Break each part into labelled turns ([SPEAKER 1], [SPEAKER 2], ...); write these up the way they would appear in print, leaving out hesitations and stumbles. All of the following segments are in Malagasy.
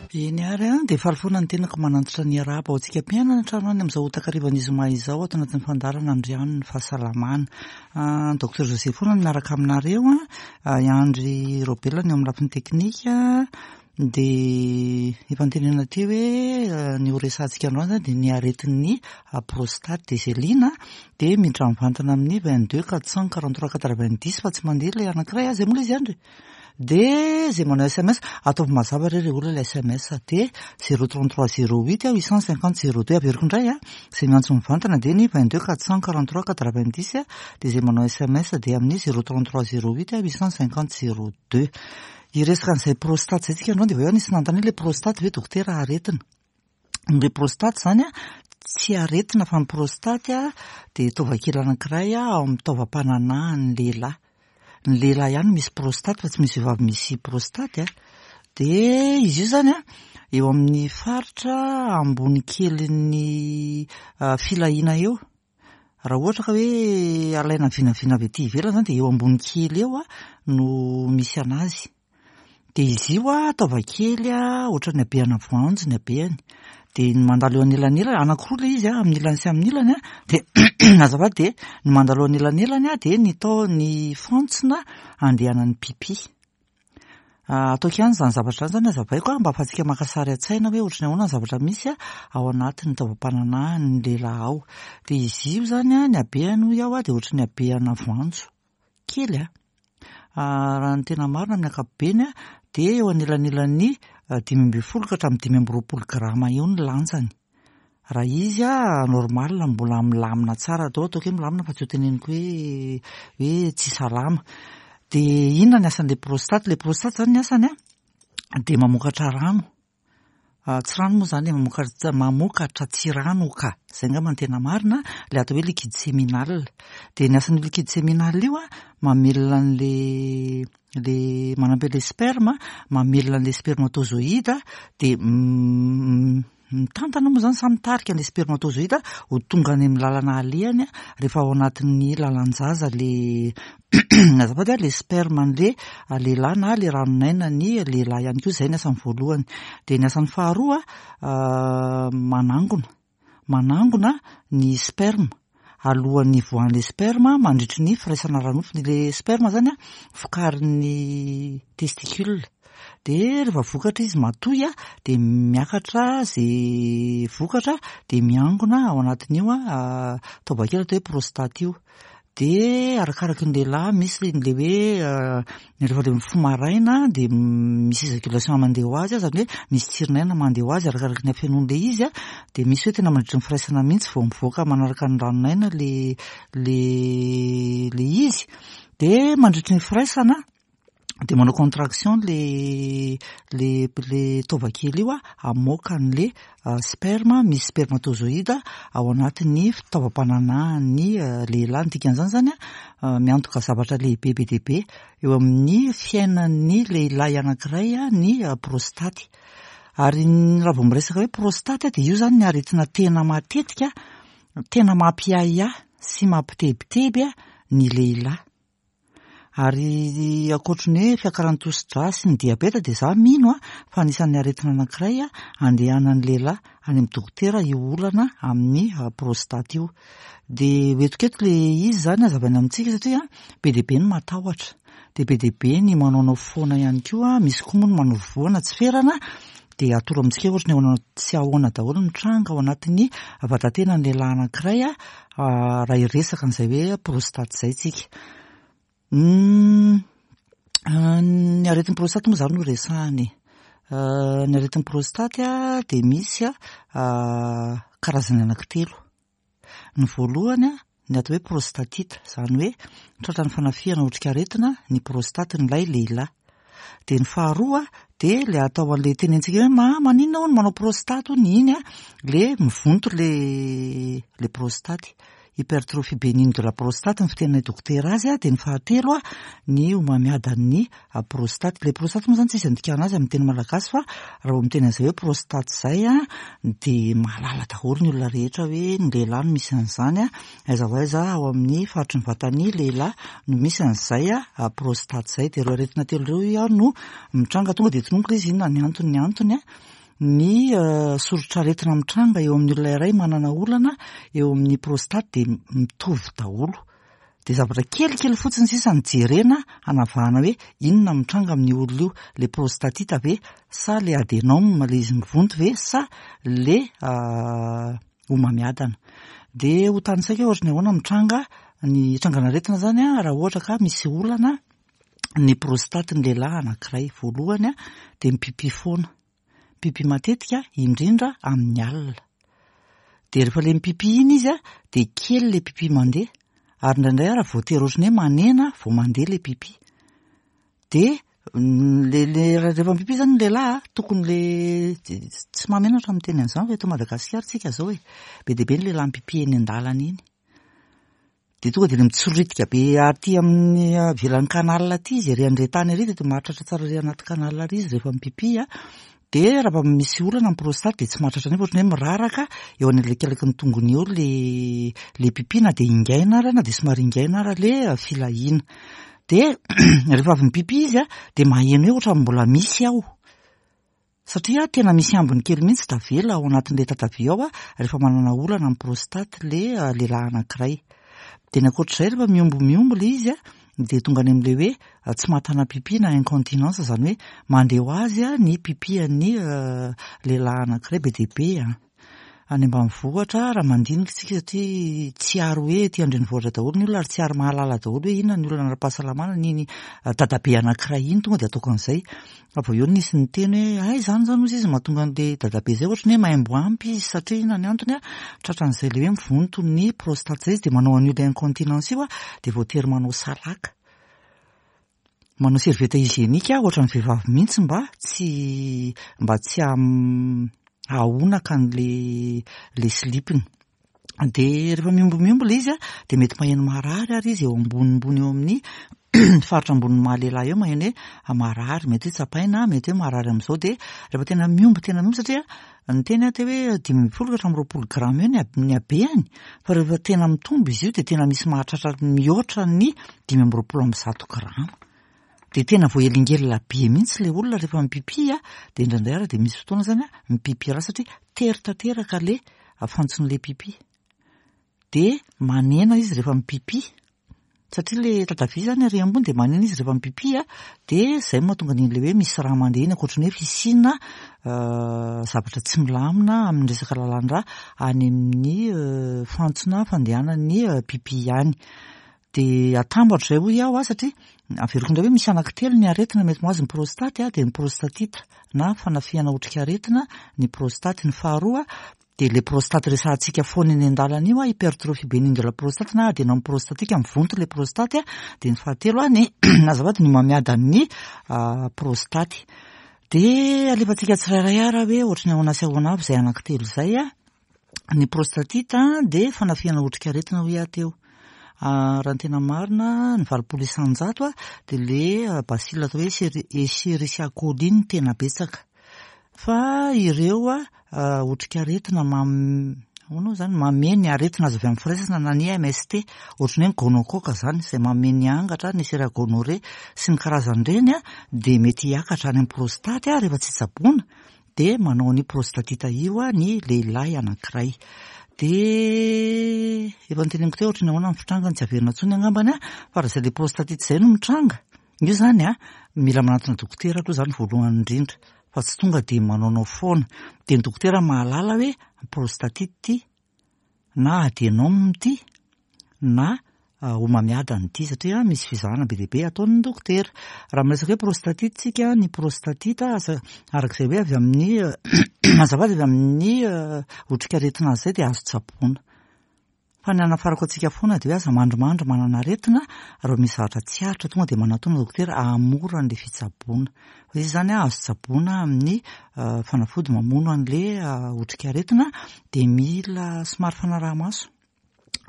[SPEAKER 1] Eny ary an, dia faly foana ny tenako manantitra ny arahaba ho antsika mpiainana an-trano any amin'izao takarivan'ny zoma izao ato anatin'ny fandaharana Andriano ny fahasalamana. Docteur José foana no miaraka aminareo an, i Andry Robela ny eo amin'ny lafiny teknika, dia efa notenenina teo hoe ny ho resahantsika androany izany dia ny aretin'ny prostate. Dia izay liana dia miditra mivantana amin'ny 22 443 90 fa tsy mandeha ilay anankiray, izay moa ilay izy Andry? Dia izay manao sms, ataovy mazava re ry olona ilay sms, dia 033 08 850 02, averiko indray a, izay miantso mivantana dia ny 22 443 90, dia izay manao sms dia amin'ny 033 08 850 02. Hiresaka an'izay prostate izay tsika androany dia avy eo nisy nanontany hoe ilay prostate ve dokotera aretina? Ny le prostate izany a, tsy aretina fa ny prostate a dia taovakely anankiray ao amin'ny taovam-pananahan'ny lehilahy. Ny lehilahy ihany no misy prostate fa tsy misy vehivavy misy prostate a. Dia izy io izany a, eo amin'ny faritra ambony kelin'ny filahiana eo. Raha ohatra ka hoe alaina vinavina avy aty ivelany izany dia eo ambony kely eo no misy an'azy. Dia izy io a, taova kely a, ohatran'ny habehana voanjo ny habehany. Dia ny mandalo eo anelanelany, anankiroa ilay izy a, amin'ny ilany sy amin'ny ilany a, dia azafady dia ny mandalo eo anelanelany a, dia ny tao ny fantsona andehanan'ny pipi. Ataoko ihany izany zavatra izany izany hazavaiko a, mba ahafahantsika maka sary an-tsaina hoe ohatran'ny ahoana ny zavatra misy ao anatin'ny taovam-pananahan'ny lehilahy ao. Dia izy io izany a, ny habehany hoy aho a, dia ohatran'ny habehana voanjo kely a. Raha ny tena marina amin'ny ankapobeny dia eo anelanelan'ny 15 ka hatramin'ny 25 grama eo ny lanjany. Raha izy normal mbola milamina tsara atao ataoko hoe milamina fa tsy ho teneniko hoe hoe tsy salama. Dia inona ny asan'ilay prostate? Ilay prostate izany ny asany dia mamokatra rano. Tsy rano moa izany e, mamokatra mamokatra tsiranoka, izay angamba no tena marina, ilay atao hoe liquide séminal. Dia ny asan'io liquide séminal io an, mamelona an'ilay ilay manampy an'ilay sperme, mamelona an'ilay spermatozoïde, dia Mitantana moa izany sa mitarika ilay spermatozoïde ho tonga any amin'ny lalana alehany rehefa ao anatin'ny lalan-jaza le azafady a, le sperme an'le lehilahy na le ranon'aina ny lehilahy ihany koa, izay ny asany voalohany. Dia ny asany faharoa manangona, manangona ny sperme alohan'ny hivoahan'ilay sperme mandritry ny firaisana ara-nofo. Ilay sperme izany vokarin'ny testicule. Dia rehefa vokatra izy matoy dia miakatra izay vokatra dia miangona ao anatin'io taovakely atao hoe prostate io. Dia arakaraky ny lehilahy misy ilay hoe rehefa ilay mifoha maraina dia misy éjaculation mandeha ho azy, izany hoe misy tsirin'aina mandeha ho azy arakaraky ny hafenoan'ilay izy dia misy hoe tena mandritry ny firaisana mihitsy vao mivoaka manaraka ny ranon'aina ilay ilay ilay izy. Dia mandritry ny firaisana dia manao contraction le le le taova kely io hamoaka an'le sperme misy spermatozoïde ao anatin'ny fitaovam-pananahan'ny lehilahy. Ny dikan'izany izany miantoka zavatra lehibe be dia be eo amin'ny fiainan'ny lehilahy anankiray ny prostaty. Ary raha vao miresaka hoe prostaty dia io izany ny aretina tena matetika tena mampiahiahy sy mampitebiteby ny lehilahy. Ary ankoatry ny hoe fiakaran'ny tosi-drà sy ny diabeta dia za mino fa anisan'ny aretina anankiray andehanan'ny lehilahy any amin'ny dokotera io olana amin'ny prostate io. Dia ho entiko eto ilay izy izany hazavaina amintsika satria be dia be ny matahotra, dia be dia be ny manaonao foana ihany koa, misy koa moa ny manao voana tsy ferana, dia atoro amintsika hoe ohatry ny ahoana sy ahoana daholo ny tranga ao anatin'ny vatatenan'ny lehilahy anankiray raha hiresaka an'izay hoe prostate izay tsika. Ny aretin'ny prostate moa izany no resahana e. Ny aretin'ny prostate dia misy karazany anankitelo. Ny voalohany ny atao hoe prostatite, izany hoe tratran'ny fanafihana otrikaretina ny prostaten'ilay lehilahy. Dia ny faharoa dia ilay atao an'ilay tenentsika hoe maninona hono manao prostate hono iny ilay mivonto ilay ilay prostate. Hypertrophie bénigne de la prostate ny fiteninay dokotera azy. Dia ny fahatelo ny homamiadan'ny prostate. Ilay prostate moa izany tsisy andikana azy amin'ny teny malagasy fa raha vao miteny an'izay hoe prostate izay dia mahalala daholo ny olona rehetra hoe ny lehilahy no misy an'izany. Aiza ho aiza ao amin'ny faritry ny vatan'ny lehilahy no misy an'izay prostate izay. Dia ireo aretina telo ireo hoy aho no mitranga. Tonga dia tononiko ilay izy inona ny antony ny antony. ny soritr'aretina mitranga eo amin'ny olona iray manana olana eo amin'ny prostate dia mitovy daholo. Dia zavatra kelikely fotsiny sisa no jerena hanavahana hoe inona no mitranga amin'io olona io, le prostatite ve sa le adenome le izy mivonto ve sa le homamiadana. Dia ho tanisaiko hoe ohatran'ny ahoana mitranga ny trangan'aretina izany raha ohatra ka misy olana ny prostate ny lehilahy anankiray. Voalohany dia mipipi foana. Mipipi matetika, indrindra amin'ny alina. Dia rehefa ilay mipipi iny izy dia kely ilay pipi mandeha. Ary indraindray ary voatery ohatran'ny hoe manena vao mandeha ilay pipi. Dia le le rehefa mipipi izany ny lehilahy tokony le tsy mahamenatra miteny an'izany fa eto Madagasikara tsika izao e. Be dia be ny lehilahy mipipi eny an-dalana eny. Dia tonga dia le mitsoritika be aty amin'ny ivelan'ny canal aty izy, ery andretany ery dia toa mahatratra tsara ery anaty canal ery izy rehefa mipipi a. Dia raha vao misy olana amin'ny prostate dia tsy mahatratra nefa ohatran'ny hoe miraraka eo anelakelaka ny tongony eo le le pipi na dia ingaina ara na dia somary ingaina ara le filahiana. Dia rehefa avy mipipi izy a dia maheno hoe ohatran'ny mbola misy ao. Satria tena misy ambiny kely mihitsy tavela ao anatin'ilay tatavia ao rehefa manana olana amin'ny prostate ilay lehilahy anankiray. Dia ny ankoatr'izay rehefa mihombo-mihombo ilay izy dia tonga any amin'ilay hoe tsy mahatana pipi na incontinence, izany hoe mandeha ho azy ny pipi an'ny lehilahy anankiray be dia be. Any ambanivohitra raha mandinika isika satria tsy ary hoe ety an-drenivohitra daholo ny olona ary tsy ary mahalala daholo hoe inona ny olana ara-pahasalamana n'iny dadabe anankiray iny tonga dia ataoko an'izay. Fa vao eo nisy niteny hoe hay izany izany hozy izy mahatonga an'ilay dadabe izay ohatran'ny hoe maimbo ampy izy satria inona ny antony a, tratran'izay ilay hoe mivonto ny prostate izay izy dia manao an'io ilay incontinence io a, dia voatery manao salaka. Manao serviette hygiénique aho ohatran'ny vehivavy mihitsy mba tsy mba tsy hahonaka an'le le slip-ny. Dia rehefa miombomihombo ilay izy dia mety maheno marary ary izy eo ambonimbony eo amin'ny faritra ambonin'ny maha lehilahy eo maheno hoe marary, mety hoe tsapaina, mety hoe marary amin'izao dia rehefa tena mihombo tena mihombo satria niteny aho teo hoe 15 ka hatramin'ny 20 grama eo ny habehany fa rehefa tena mitombo izy io dia tena misy mahatratra mihoatra ny 125 grama. Dia tena voahelingelina be mihitsy ilay olona rehefa mipipi a, dia indraindray ary dia misy fotoana izany a, mipipi ra satria tery tanteraka ilay fantson'ilay pipi. Dia manena izy rehefa mipipi. Satria ilay tatavia izany ary ambony dia manina izy rehefa mipipi a, dia izay no mahatonga an'ilay hoe misy rà mandeha iny ankoatry ny hoe fisiana zavatra tsy milamina amin'ny resaka lalan-drà any amin'ny fantsona fandehanan'ny pipi any. Dia atambatra izay hoy aho a, satria averiko indray hoe misy anankitelo ny aretina mety mahazo ny prostate a, dia ny prostatite na fanafihana otrikaretina ny prostate, ny faharoa Dia ilay prostate resahantsika foana eny an-dalana io, hypertrophie bénigne de la prostate na adenome prostatique, mivonto ilay prostate, dia ny fahatelo ny azafady ny homamiadan'ny prostate. Dia alefantsika tsirairay ara hoe ohatry ny ahoana sy ahoana avy izay anankitelo izay. Ny prostatite dia fanafihana otrikaretina hoy aho teo. Raha ny tena marina, ny 80% dia ilay bacille atao hoe Escherichia coli no tena betsaka. Fa ireo otrikaretina mam- ahoana moa izany, mamehy ny aretina azo avy amin'ny firaisana na ny MST, ohatran'ny hoe ny gonocoque izany, izay mamehy ny angatra, ny Neisseria gonorrhoeae sy ny karazan'ireny dia mety hiakatra any amin'ny prostate rehefa tsy tsaboina dia manao an'io prostatite io ny lehilahy anankiray. Dia efa noteneniko teo ohatran'ny ahoana ny fitrangany, tsy averina intsony angambany fa raha izay ilay prostatite izay no mitranga, Io zany a, mila manantona dokotera aloha zany voalohany indrindra fa tsy tonga dia manaonao foana. Dia ny dokotera mahalala hoe prostatite ity na adenome ity na homamiadana ity satria misy fizahana be dia be ataon'ny dokotera. Raha miresaka hoe prostatite tsika, ny prostatite asa araka izay hoe avy amin'ny azafady avy amin'ny otrikaretina azy izay dia azo tsaboina. Fa ny hanafarako antsika foana dia hoe aza mandrimandry manana aretina, raha misy zavatra tsy aritra tonga dia manatona dokotera hahamora an'ilay fitsaboana. Fa izy izany azo tsaboina amin'ny fanafody mamono an'ilay otrikaretina dia mila somary fanaraha-maso.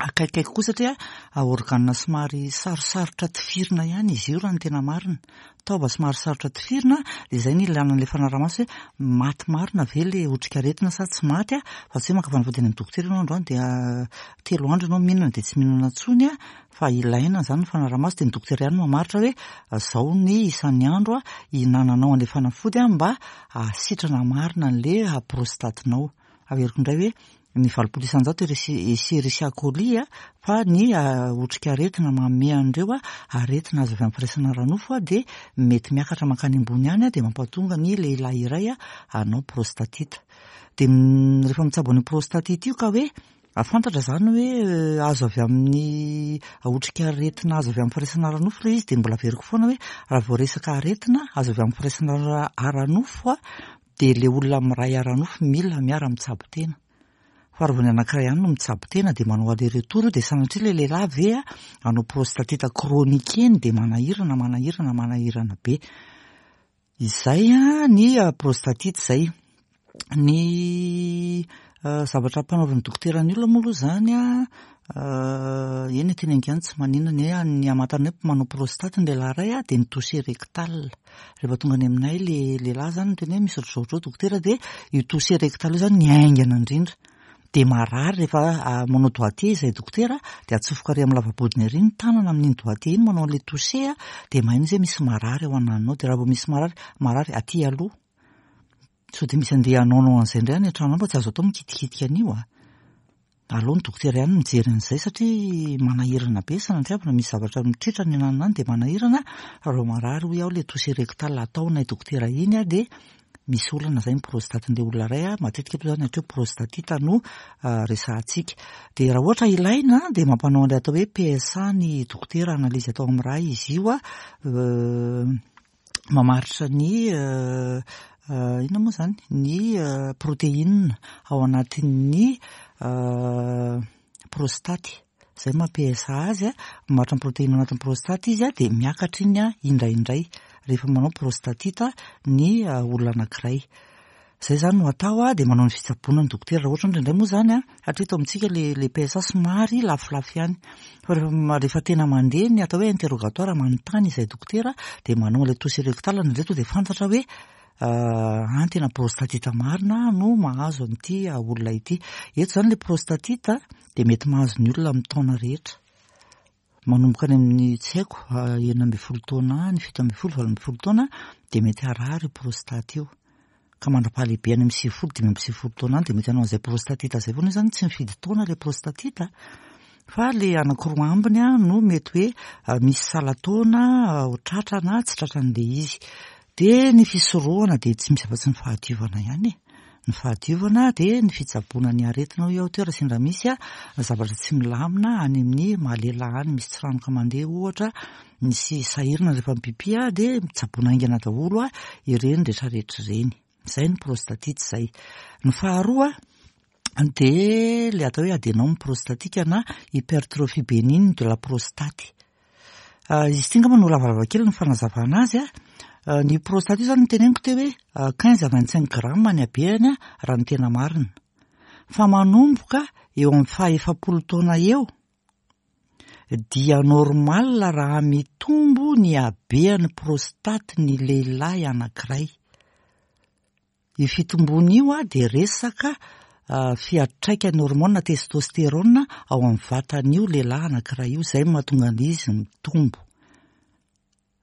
[SPEAKER 1] Akaikikaiky kokoa satria organe somary sarosarotra tifirina ihany izy io raha ny tena marina. Taova somary sarotra tifirina dia izay no ilana an'ilay fanaraha-maso hoe maty marina ve ilay otrikaretina sa tsy maty fa tsy hoe maka fanafody any amin'ny dokotera ianao androany dia telo andro ianao mihinana dia tsy mihinana intsony fa ilaina izany ny fanaraha-maso dia ny dokotera ihany no mamaritra hoe izao ny isan'ny andro hihinananao an'ilay fanafody mba hahasitrana marina an'ilay prostatinao. Averiko indray hoe ny 80% Escherichia coli fa ny otrikaretina manome an'ireo aretina azo avy amin'ny firaisana ara-nofo dia mety miakatra mankany ambony any dia mampatonga ny lehilahy iray hanao prostatite. Dia rehefa mitsabo an'io prostatite io ka hoe fantatra izany hoe azo avy amin'ny otrikaretina azo avy amin'ny firaisana ara-nofo ilay izy dia mbola averiko foana hoe raha vao resaka aretina azo avy amin'ny firaisana ara-nofo dia ilay olona miray ara-nofo mila miara-mitsabo tena. Fa raha vao ny anankiray ihany no mitsabo tena dia manao aller-retour dia sanatria ilay lehilahy ve hanao prostatite chronique eny dia manahirana, manahirana, manahirana be. Izay ny prostatite izay. Ny zavatra ampanaovin'ny dokotera ny olona moa aloha izany eny e, teneniko ihany tsy maninona ny hoe ny hamantarana hoe manao prostate ny lehilahy iray dia ny toucher rectal. Rehefa tonga any aminay le lehilahy zany miteny hoe misy ohatr'izao ohatr'izao dokotera dia io toucher rectal io zany ny haingana indrindra. Dia marary rehefa manao doigté izay dokotera dia atsofoka ary amin'ny lava-bodiny ary ny tanana amin'iny doigté iny manao an'ilay toucher dia maheno izy hoe misy marary ao ananonao. Dia raha vao misy marary, marary aty aloha. Sao dia misy andeha hanaonao an'izay indray any an-trano any fa tsy azo atao mikitikitika an'io a. Aleo ny dokotera ihany mijery an'izay satria manahirana be sanatriavina misy zavatra mitritra any ananona any dia manahirana fa raha marary hoy aho ilay toucher rectal ataonay dokotera iny a dia misy olana izay ny prostatin'ilay olona iray a, matetika aloha izany hatreo prostatite no resahantsika. Dia raha ohatra ilaina dia mampanao an'ilay atao hoe PSA ny dokotera, analyse atao amin'ny rà izy io a, mamaritra ny inona moa izany? Ny protéine ao anatin'ny prostaty. Izay maha PSA azy a, mamaritra ny protéine ao anatin'ny prostaty izy a, dia miakatra iny indraindray rehefa manao prostatite ny olona anankiray. Izay izany no atao a, dia manao ny fitsaboana ny dokotera. Raha ohatra indraindray moa izany a, hatreto eto amintsika ilay ilay PSA somary lafolafo ihany. Fa rehefa rehefa tena mandeha ny atao hoe interrogatoire, manontany izay dokotera, dia manao an'ilay toucher rectal indraindray tonga dia fantatra hoe an tena prostatite marina no mahazo an'ity olona ity. Eto izany ilay prostatite dia mety mahazo ny olona amin'ny taona rehetra. Manomboka any amin'ny tsy haiko 16 taona any, 17, 18 taona dia mety harary io prostate io. Ka mandra-pahalehibe any amin'ny 90, 95 taona any dia mety hanao an'izay prostatite izay foana. Io izany tsy mifidy taona ilay prostatite fa ilay anankiroa ambiny no mety hoe misy salan-taona ho tratra na tsy tratran'ilay izy. Dia ny fisorohana dia tsy misy afa-tsy ny fahadiovana ihany e. Ny fahadiovana dia ny fitsaboana ny aretina hoy aho teo raha sendra misy zavatra tsy milamina any amin'ny maha lehilahy any, misy tsiranoka mandeha ohatra, misy sahirana rehefa mipipi dia tsaboina haingana daholo ireny rehetrarehetra ireny. Izay ny prostatite izay. Ny faharoa dia ilay atao hoe adenome prostatique na hypertrophie bénigne de la prostate. Izy ity angamba no lavalava kely ny fanazavana azy a. Ny prostate io zany noteneniko teo hoe quinze à vingt cinq grammes ny habehany raha ny tena marina. Fa manomboka eo amin'ny faha 40 taona eo dia normal raha mitombo ny habehan'ny prostate ny lehilahy anankiray. Io fitomboana io dia resaka fiantraikan'ny hormone testostérone ao amin'ny vatan'io lehilahy anankiray io, izay no mahatonga an'izy mitombo.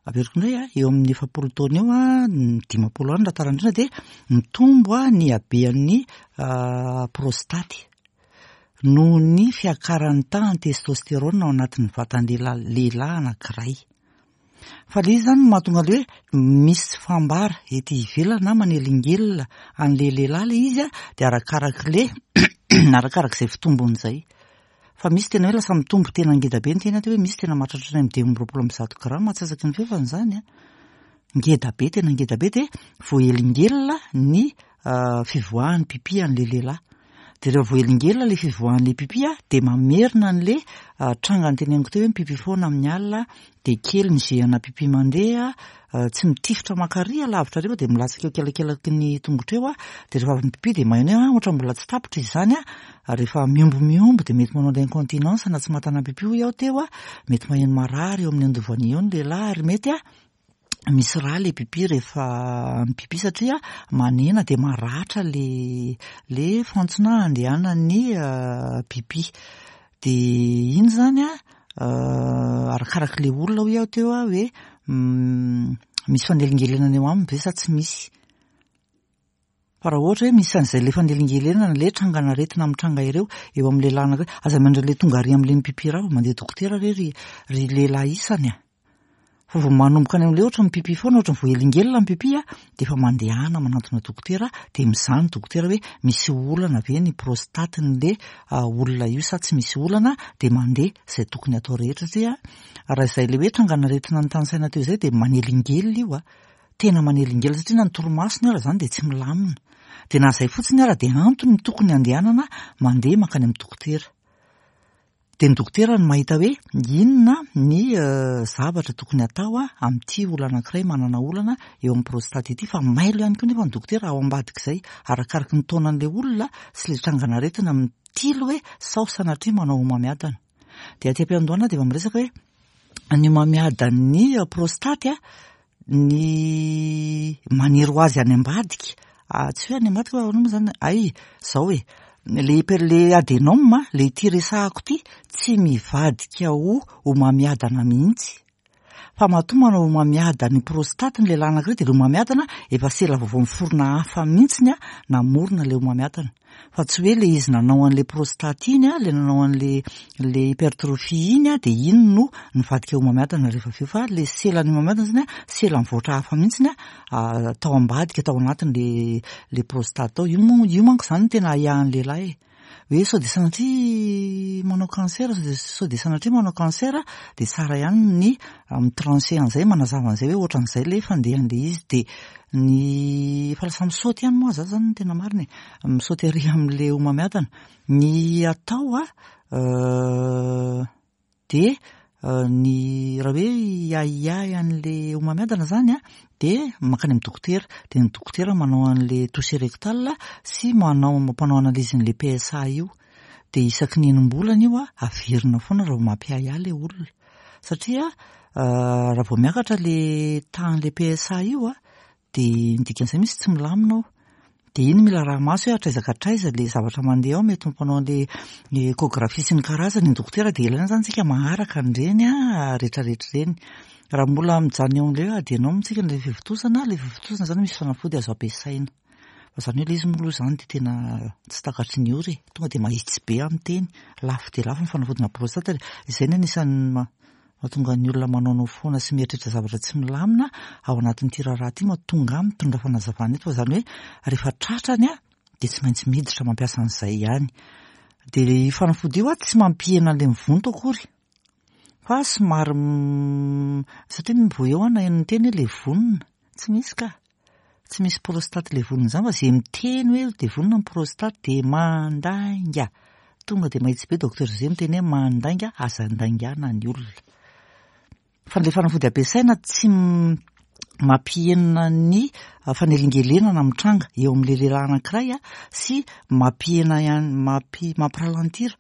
[SPEAKER 1] Averiko indray, eo amin'ny 40 taona eo, ny 50 any raha tara indrindra dia mitombo ny habean'ny prostaty noho ny fiakaran'ny tahan'ny testostérone ao anatin'ny vatan'ny lehilahy anankiray. Fa le izy zany no mahatonga le hoe misy fambara ety ivelany na manelingelina an'le lehilahy le izy a, de arakarak'le arakarak'izay fitombony zay. Fa misy tena hoe lasa mitombo tena ngeda be ny tena hoe misy tena mahatratra hatrany amin'ny 125 grama antsasaky ny fefany zany a. Ngeda be, tena ngeda be de voahelingelina ny fivoahan'ny pipi an'le lehilahy. Dia rehefa voahelingelina ilay fivoahan'ilay pipi dia mamerina an'ilay tranga noteneniko teo hoe mipipi foana amin'ny alina dia kely ny jet ana pipi mandeha, tsy mitifitra maka ary alavitra ary fa dia milatsaka eo akelakelaky ny tongotra eo dia rehefa avy mipipi dia maheno hoe ohatra mbola tsy tapitra izy izany rehefa miombo miombo dia mety manao ilay incontinence na tsy mahatana pipi hoy aho teo, mety maheno marary eo amin'ny andovana eo ny lehilahy ary mety misy rà le pipi rehefa mipipi satria manena dia maratra le le fantsona andehanan'ny pipi. Dia iny izany an, arakarak'ilay olona hoy aho teo hoe misy fanelingelenana eo aminy ve sa tsy misy. Fa raha ohatra hoe misy an'izay ilay fanelingelenana, ilay trangan'aretina mitranga ireo eo amin'ny lehilahy anankiray, aza miandry an'ilay tonga ary amin'ilay mipipi rà vao mandeha dokotera re ry ry lehilahy isany a! Fa vao manomboka any amin'ilay ohatra mipipi foana, ohatra voahelingelina ny pipi a, dia efa mandehana manantona dokotera, dia mizaha ny dokotera hoe misy olana ve ny prostate-n'ilay olona io sa tsy misy olana, dia mandeha izay tokony atao rehetra satria raha izay ilay hoe trangan'aretina notanisaina teo izay dia manelingelina io a! Tena manelingelina satria na ny torimasony ara izany dia tsy milamina. Dia na izay fotsiny ara dia antony tokony handehanana mandeha mankany amin'ny dokotera. Dia ny dokotera no mahita hoe inona ny zavatra tokony hatao amin'ity olona anankiray manana olana eo amin'ny prostate ity fa mailo ihany koa nefa ny dokotera ao ambadik'izay arakaraky ny taonan'ilay olona sy ilay trangan'aretina mitily hoe sao sanatria manao homamiadana. Dia aty am-piandohana dia efa miresaka hoe ny homamiadan'ny prostate ny maniry ho azy any ambadika, tsy hoe any ambadika fa ahoana moa izany, hay izao e, le hyper, le adenome, le ity resahako ity tsy mivadika ho homamiadana mihitsy. Fa matoa manao homamiadan'ny prostate ny lehilahy anankiray dia le homamiadana efa sela vaovao miforona hafa mihitsy namorona ilay homamiadana. Fa tsy hoe ilay izy nanao an'ilay prostate iny, ilay nanao an'ilay ilay hypertrophie iny dia iny no nivadika homamiadana rehefa avy eo fa ilay selan'ny homamiadana izany sela mivoatra hafa mihitsy tao ambadika tao anatin'ilay ilay prostate tao. Io moa io manko izany no tena ahiahin'ny lehilahy e. Hoe sao dia sanatria manao cancer, sao dia sanatria manao cancer dia tsara ihany ny mi-trancher an'izay, manazava an'izay hoe ohatran'izay ilay fandehan'ilay izy. Dia ny efa lasa misaoty ihany moa za zany no tena marina e, misaoty ery amin'ilay homamiadana. Ny atao a, dia ny raha hoe hiahiahy an'ilay homamiadana zany a, dia mankany amin'ny dokotera, dia ny dokotera manao an'ilay toucher rectal sy manao mampanao analyse an'ilay PSA io, dia isaky ny enim-bolana io a, averina foana raha vao mampiahiahy ilay olona, satria raha vao miakatra ilay tahan'ilay PSA io a, Dia ny dikan'izay misy tsy milamina ao. Dia iny mila araha-maso hoe hatraiza ka hatraiza ilay zavatra mandeha ao, mety mampanao an'ilay échographie sy ny karazany ny dokotera dia ilaina izany isika maharaka an'ireny rehetrarehetra ireny. Raha mbola mijanona eo amin'ilay hoe adenome isika ilay fivontosana, ilay fivontosana izany misy fanafody azo ampiasaina. Fa izany hoe ilay izy moa aloha izany dia tena tsy takatry ny ora e. Tonga dia mahitsy be amin'ny teny. Lafo dia lafo ny fanafodina prostate. Izay no anisan'ny Mahatonga ny olona manaonao foana sy mieritreritra zavatra tsy milamina ao anatin'ity raharaha ity mahatonga ahy mitondra fanazavana eto fa izany hoe rehefa tratrany aho dia tsy maintsy miditra mampiasa an'izay ihany. Dia ilay fanafody io tsy mampihena an'ilay mivonto akory fa somary satria vao eo aho naheno niteny hoe levonina, tsy misy ka. Tsy misy prostate levonina izany fa izay miteny hoe levonina ny prostate dia mandainga. Tonga dia mahitsy be Docteur José miteny hoe mandainga, aza andaingana ny olona. Fa ilay fanafody ampiasaina tsy mampihena ny fanelingelenana mitranga eo amin'ilay lehilahy anankiray sy mampihena ihany, mampi- mampiralentir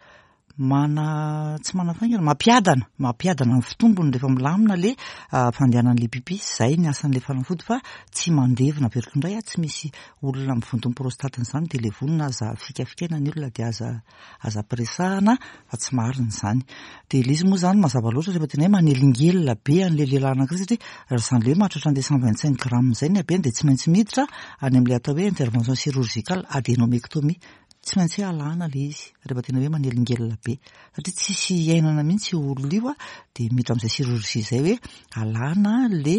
[SPEAKER 1] Mana, tsy manafaingana, mampiadana, mampiadana ny fitombony rehefa milamina le fandehanan'le pipi, zay ny asan'le fanafody fa tsy mandevona, averiko indray ah, tsy misy olona mivonto ny prostate izany de levonina aza fikafikaina ny olona de aza aza ampiresahana fa tsy marina izany. De le izy moa zany mazava loatra rehefa tena hoe manelingelina be an'le lehilahy anankiray satria raha izany le hoe mahatratra an'le 125 grammes zay ny habeny de tsy maintsy miditra any amin'le atao hoe intervention chirurgicale adénomectomie. Tsy maintsy hoe alana ilay izy rehefa tena hoe manelingelina be satria tsisy iainana mihitsy io olona io dia miditra amin'izay chirurgie izay hoe alana le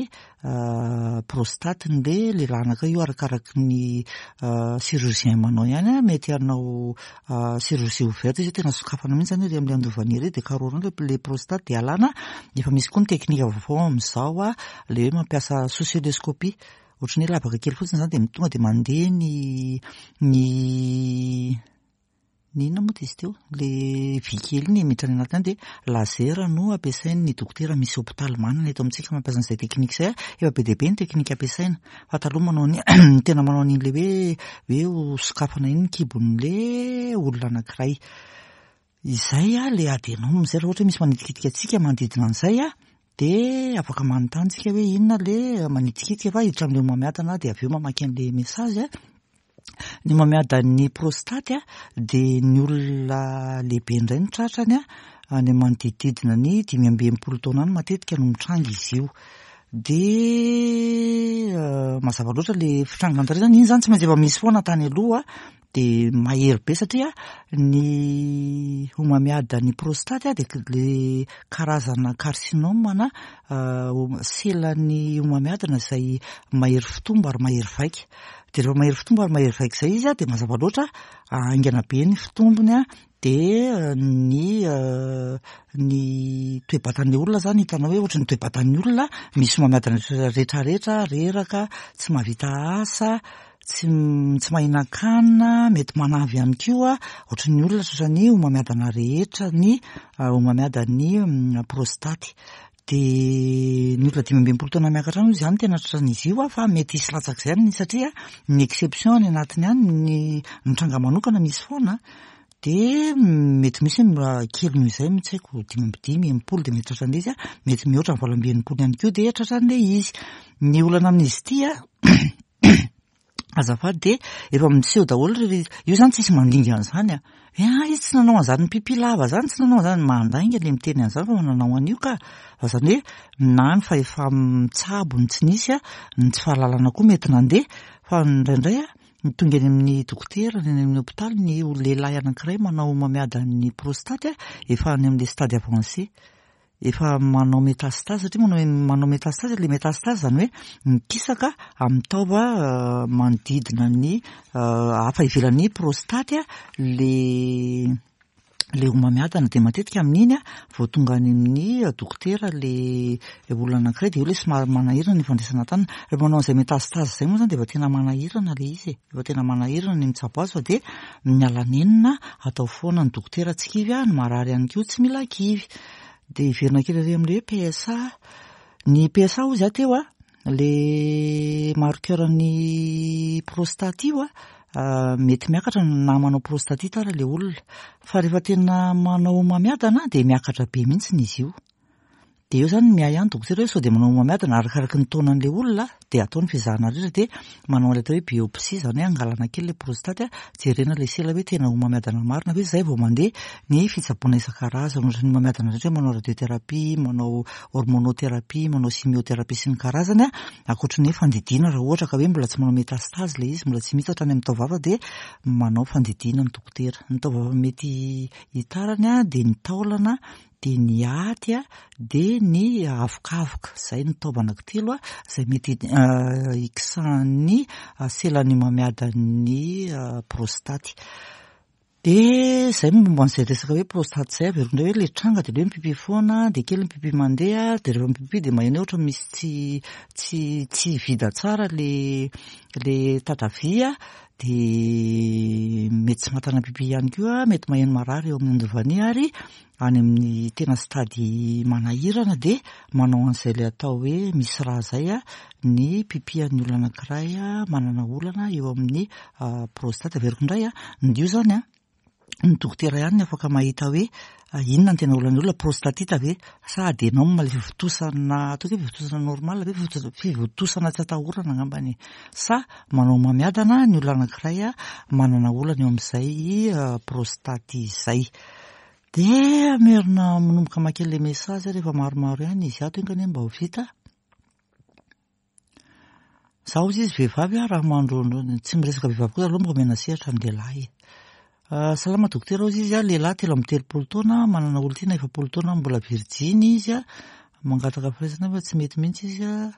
[SPEAKER 1] prostate-n'le lehilahy anankiray io arakaraky ny chirurgien manao ihany mety hanao chirurgie ouverte izy hoe tena sokafana mihitsy izany ery amin'ilay andovana ery dia karohina eo ilay prostate dia alana, efa misy koa ny teknika vaovao amin'izao ilay hoe mampiasa sous-cœlioscopie. Ohatran'ny hoe lavaka kely fotsiny izany dia tonga dia mandeha ny ny. Ny inona moa izy teo? Ilay vy kely iny miditra any anatiny any dia laser no ampiasain'ny dokotera. Misy hopitaly manana eto amintsika mampiasa an'izay teknika izay. Efa be dia be ny teknika ampiasaina. Fa taloha manao ny tena manao an'iny ilay hoe hoe ho sokafana iny ny kibon'ilay olona anankiray. Izay ilay adenome izay raha ohatra hoe misy manitikitika antsika manodidina an'izay dia afaka manontany tsika hoe inona ilay manitikitika fa hiditra amin'ilay homamiadana dia avy eo mamaky an'ilay message. Ny homamiadan'ny prostate dia ny olona lehibe indray no tratrany any manodidididina ny 65 taona any matetika no mitranga izy io. Dia mazava loatra ilay fitrangana tary izany, iny izany tsy maintsy efa misy foana tany aloha dia mahery be satria ny homamiadan'ny prostate dia ilay karazana carcinome na selan'ny homamiadana izay mahery fitombo ary mahery vaika. Dia rehefa mahery fitombo ary mahery vaika izay izy dia mazava loatra haingana be ny fitombony dia ny ny toe-batan'ilay olona izany hitanao hoe ohatran'ny toe-batan'ny olona misy homamiadana rehetrarehetra, reraka, tsy mahavita asa, tsy tsy mahinan-kanina, mety manavy ihany koa, ohatran'ny olona tratran'ny homamiadana rehetra ny homamiadan'ny prostaty. Dia ny olona 65 taona miakatra any izany tena tratran'izy io fa mety hisy latsak'izay any satria ny exception any anatiny any ny ny tranga manokana misy foana dia mety misy hoe kely noho izay mihitsy haiko 55, 60 dia mety tratran'ilay izy mety mihoatra ny 68 ihany koa dia tratran'ilay izy. Ny olana amin'izy ity Azafady dia efa miseho daholo ry io zany tsisy mandinga an'izany a. Hoe ah izy tsy nanao an'izany pipi lava zany, tsy nanao an'izany, mandainga le miteny an'izany fa nanao an'io ka. Fa zany hoe na ny fahefa-mitsabo no tsy nisy a, ny tsy fahalalana koa mety nandeha fa indraindray a, ny tonga eny amin'ny dokotera, ny eny amin'ny hopitaly ny lehilahy anankiray manao homamiadan'ny prostate efa any amin'ilay stade avancé. Efa manao métastase satria manao manao métastase ilay métastase izany hoe mikisaka amin'ny taova manodidina ny hafa ivelan'ny prostate le le homamiadana dia matetika amin'iny vao tonga any amin'ny dokotera le olona anankiray dia eo ilay somary manahirana ny fandraisana tanana. Rehefa manao an'izay métastase izay moa izany dia efa tena manahirana ilay izy e, efa tena manahirana ny mitsabo azy fa dia miala nenina atao foana ny dokotera tsy kivy ny marary ihany koa tsy mila kivy. Dia hiverina kely ary amin'ilay hoe PSA. Ny PSA hozy aho teo a, le marqueur ny prostate io a, mety miakatra na manao prostatite ary ilay olona. Fa rehefa tena manao homamiadana dia miakatra be mihitsy izy io. Dia eo izany miahy ihany dokotera hoe sao dia manao homamiadana arakaraky ny taonan'ilay olona dia atao ny fizahana rehetra dia manao an'ilay atao hoe biopsie izany hoe angalana kely ilay prostate jerena ilay sela hoe tena homamiadana marina ve izay vao mandeha ny fitsaboana isan-karazany ohatran'ny homamiadana rehetra hoe manao radiothérapie, manao hormonothérapie, manao chimiothérapie sy ny karazany ankoatry ny hoe fandidiana raha ohatra ka hoe mbola tsy manao métastase ilay izy mbola tsy mihitatra any amin'ny taovava dia manao fandidiana ny dokotera. Ny taovava mety hitarany dia ny taolana dia ny aty dia ny avokavoka, izay ny taova anankitelo izay mety hikisahan'ny selan'ny homamiadan'ny prostaty. Dia izay momba an'izay resaka hoe prostaty izay, averiko indray hoe ilay tranga dia ilay hoe mipipi foana, dia kely ny pipi mandeha, dia rehefa mipipi dia maheno hoe ohatra misy tsy tsy tsy vida tsara ilay ilay tatavia, dia mety tsy mahatana pipi ihany koa, mety maheno marary eo amin'ny andovania ary any amin'ny tena stade manahirana dia manao an'izay ilay atao hoe misy rà izay ny pipi an'ny olona anankiray manana olana eo amin'ny prostate. Averiko indray, ny io izany ny dokotera ihany no afaka mahita hoe inona ny tena olan'ny olona, prostatite ve sa adenome ilay fivontosana, ataoko hoe fivontosana normal ve, fivontosana tsy atahorana angambany e, sa manao homamiadana ny olona anankiray manana olana eo amin'izay prostate izay. Dia hamerina manomboka maka ilay message rehefa maromaro ihany izy ato enga anie mba ho vita. Za hozy izy vehivavy aho raha mandro tsy miresaka vehivavy koa aloha mba omena sehatra ny lehilahy. Ah, salama dokotera hozy izy aho lehilahy 33 taona manana olon-tiana 40 taona mbola virjiny izy ah. Mangataka firaisana fa tsy mety mihitsy izy ah.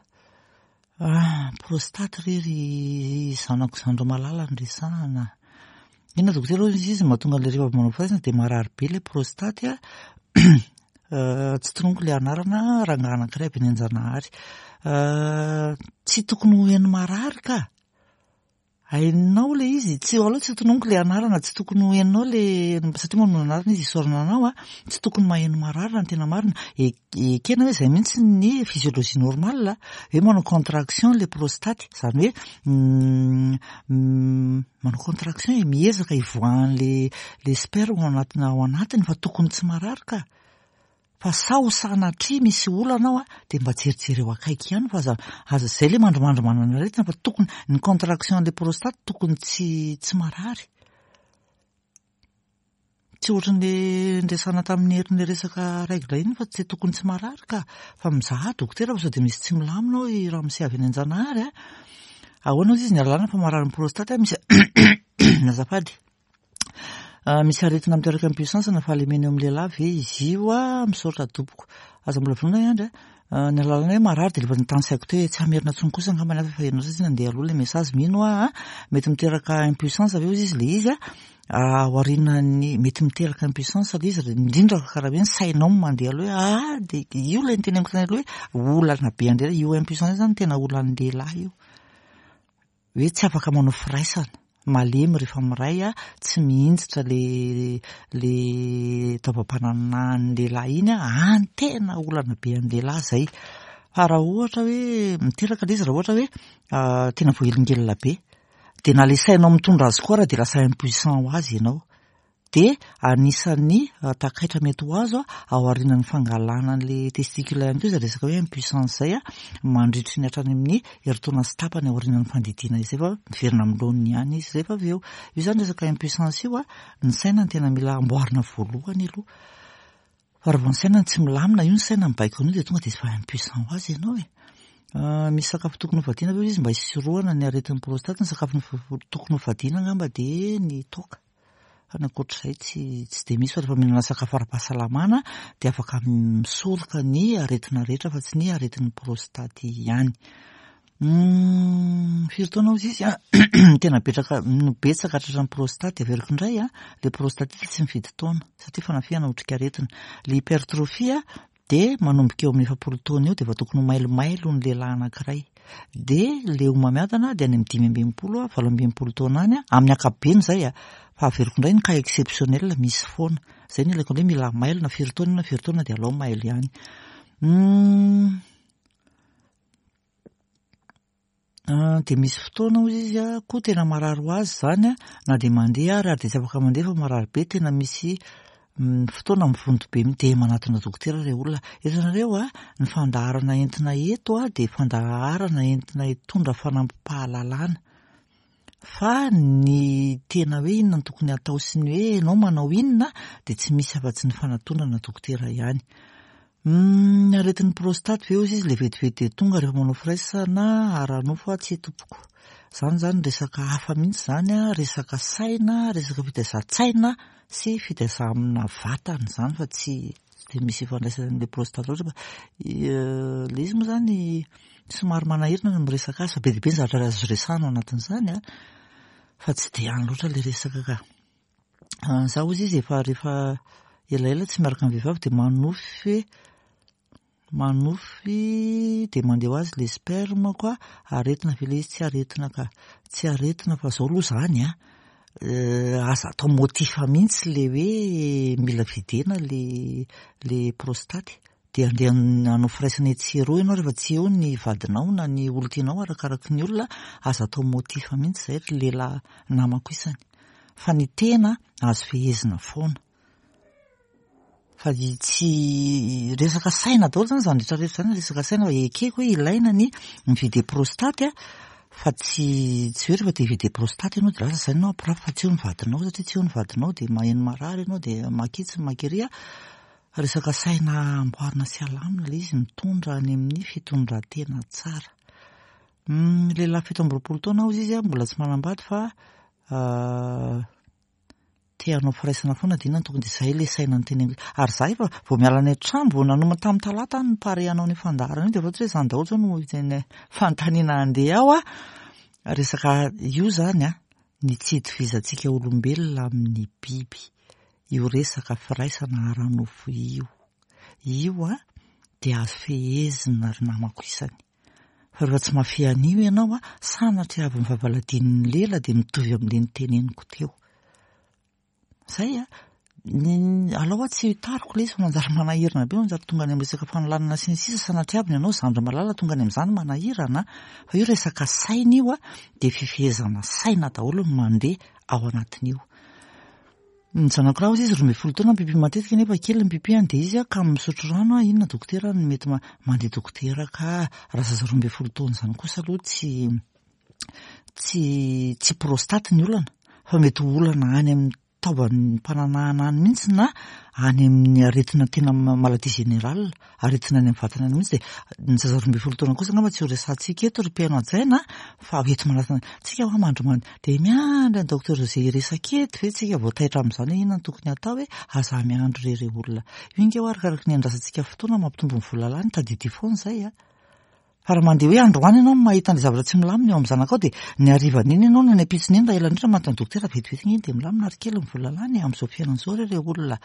[SPEAKER 1] Ah, prostate re ry zanako zandry malala no resahana. Inona dokotera hoy izy mahatonga an'ilay rehefa avy manao firaisana dia marary be ilay prostate a. Ah, tsy tononiko ilay anarana rangahy anankiray avy any Anjanahary. Ah, tsy tokony ho heno marary ka. Hainao ilay izy, tsy aleo tsy tononiko ilay anarana, tsy tokony ho henonao ilay, satria manonona anarana izy isaorana anao a, tsy tokony maheno marary raha ny tena marina. Ekena hoe izay mihitsy ny physiologie normale, hoe manao contraction ilay prostate, izany hoe manao contraction e, miezaka hivoahan'ilay ilay sperme ao anatina ao anatiny fa tokony tsy marary ka. Fa sao sanatria misy olana ao dia mba jerijereo akaiky ihany fa aza aza izay ilay mandrimandry manana aretina fa tokony ny contraction an'ilay prostate tokony tsy tsy marary. Tsy ohatran'ilay niresahana tamin'ny herin'ilay resaka règle iny fa tsy tokony tsy marary ka. Fa mizaha dokotera fa sao dia misy tsy milamina ao i ramose avy any Anjanahary a. Ahoana hozy izy ny alalana fa marary ny prostate misy azafady. Misy aretina miteraka impuissance na fahalemena eo amin'ny lehilahy ve izy io a? Misaotra tompoko. Aza mbola vonona i Andry a. Ny alalana hoe marary dia efa nitany saiko teo hoe tsy hamerina intsony kosa angamba ny hafa fa ianao satria nandeha aloha ilay message mino aho a. Mety miteraka impuissance ve hozy izy ilay izy a? Aorianan'ny mety miteraka impuissance ilay izy indrindra karaha hoe ny sainao no mandeha aloha hoe ah dia io ilay niteneniko tany aloha hoe olana be an-dehilahy io impuissance io izany tena olan'ny lehilahy io. Hoe tsy afaka manao firaisana, malemy rehefa miray, tsy mihinjitra le le taovam-pananahan'ny lehilahy iny, any tena olana be an'ny lehilahy zay. Fa raha ohatra hoe miteraka le izy raha ohatra hoe tena voahelingelina be, de na le sainao mitondra azy koa ara de lasa impuissant ho azy ianao. Dia anisan'ny takaitra mety ho azo aorianan'ny fangalana an'ilay testicule ihany koa izay resaka hoe impuissance izay mandritry ny hatrany amin'ny herintaona sy tapany aorianan'ny fandidiana izay fa miverina amin'ny laoniny ihany izy rehefa avy eo. Io izany resaka impuissance io, ny saina no tena mila amboarina voalohany aloha. Fa raha vao ny saina no tsy milamina, io ny saina mibaiko an'io dia tonga dia efa impuissant ho azy ianao e. Misy sakafo tokony ho vadiana ve izy mba hisorohana ny aretin'ny prostate? Ny sakafo tokony ho vadiana angamba dia ny toaka. Fa ny ankoatr'izay tsy tsy dia misy fa rehefa mihinana sakafo ara-pahasalamana dia afaka misoroka ny aretina rehetra fa tsy ny aretin'ny prostate ihany. Firy taona hozy izy an? Tena betraka no betsaka tratran'ny prostate averiko indray an, ilay prostatite tsy mifidy taona satria fanafihana otrikaretina. Ilay hypertrophie Dia manomboka eo amin'ny 40 taona eo dia efa tokony ho mailomailo ny lehilahy anankiray. Dia ilay homamiadana dia any amin'ny 65, 68 taona any, amin'ny ankapobeny izay a, fa averiko indray ny cas exceptionnel misy foana. Izay no ilaiko hoe mila mailo na firy taona na firy taona dia alao mailo ihany. Dia misy fotoana hozy izy a, koa tena marary ho azy izany a, na dia mandeha ary ary dia tsy afaka mandeha fa marary be, tena misy fotoana mivonto be mihitsy dia manatona dokotera ilay olona. Hitanareo a, ny fandaharana entina eto a dia fandaharana entina hitondra fanampim-pahalalana. Fa ny tena hoe inona no tokony hatao sy ny hoe ianao manao inona dia tsy misy afa-tsy ny fanatonana dokotera ihany. Ny aretin'ny prostate ve hozy izy ilay vetivety dia tonga rehefa manao firaisana ara-nofo aho? Tsia tompoko. Izany izany resaka hafa mihitsy izany, resaka saina, resaka fitaizan-tsaina sy fitaizana vatana izany fa tsy dia misy ifandraisany amin'ilay prostate loatra fa ilay izy moa izany somary manahirana ny miresaka azy fa be dia be ny zavatra azo resahana ao anatin'izany an, fa tsy dia any loatra ilay resaka ka. Za hozy izy efa rehefa elaela tsy miaraka amin'ny vehivavy dia manofy manofy dia mandeha ho azy ilay sperme ko, aretina ve ilay izy? Tsy aretina ka, tsy aretina fa zao aloha izany an, aza atao motif mihitsy ilay hoe mila videna ilay ilay prostate. Dia andeha hanao firaisana etsy sy eroa ianao rehefa tsy eo ny vadinao na ny olon-tianao arakaraky ny olona, aza atao motif mihitsy izay ry lehilahy namako isany. Fa ny tena azo fehezina foana. Fa tsy resaka saina daholo izany izany rehetra rehetra izany resaka saina fa ekeko hoe ilaina ny mi-vider prostate fa tsy tsy hoe rehefa te hi-vider prostate ianao dia lasa izany ianao hampirafy fa tsy eo ny vadinao satria tsy eo ny vadinao dia maheno marary ianao dia makitsy makiria. Resaka saina amboarina sy alamina ilay izy mitondra any amin'ny fitondran-tena tsara. Lehilahy 27 taona hozy izy mbola tsy manambady fa te hanao firaisana foana dia inona no tokony dia izay ilay saina niteneniko. Ary za efa vao miala any an-trano vao nanomana tamin'ny talata aho nipare hanao an'io fandaharana io dia efa tsy hoe izany daholo izao no tena fanontaniana handeha ao a. Resaka io izany a, ny tsy hitovizantsika olombelona amin'ny biby. Io resaka firaisana ara-nofo io. Io a, dia azo fehezina ry namako isany. Fa rehefa tsy mahafehy an'io ianao a, sanatria avy ny vavaladinin'ny lela dia mitovy amin'ilay noteneniko teo. Zay a! Ny alao hoa tsy hitariko ilay izy fa manjary manahirana be, manjary tonga any amin'ny resaka fanolanana sy ny sisa, sanatria avy ny anao zandry malala tonga any amin'izany manahirana fa io resaka saina io a, dia fifehezana saina daholo no mandeha ao anatin'io. Ny zanako lahy hozy izy 12 taona mipipi matetika nefa kely ny pipi-ny dia izy kamo misotro rano a, inona dokotera no mety mandeha dokotera ka, raha zaza 12 taona izany kosa aloha tsy tsy tsy prostate ny olana fa mety ho olana any amin'ny taovan'ny mpananahana any mihitsy na any amin'ny aretina tena maladie générale, aretina any amin'ny vatana any mihitsy dia ny zaza 12 taona kosa angamba tsy ho resahantsika eto ry mpihaino hajaina fa eto manatona tsika hoa mandry mandry dia miandry an'i docteur José hiresaka eto ve tsika vao taitra amin'izany hoe inona no tokony hatao hoe aza miandry re re olona io ange hoa arakaraky ny andrasantsika fotoana mampitombo ny vola lany tadidio foana izay a. Fa raha mandeha hoe androany ianao no mahita an'ilay zavatra tsy milamina eo amin'ny zanakao dia ny harivan'iny ianao na ny ampitson'iny raha ela indrindra manatona dokotera vetivety iny dia milamina ary kely ny vola lany e, amin'izao fiainana izao re ireo olona.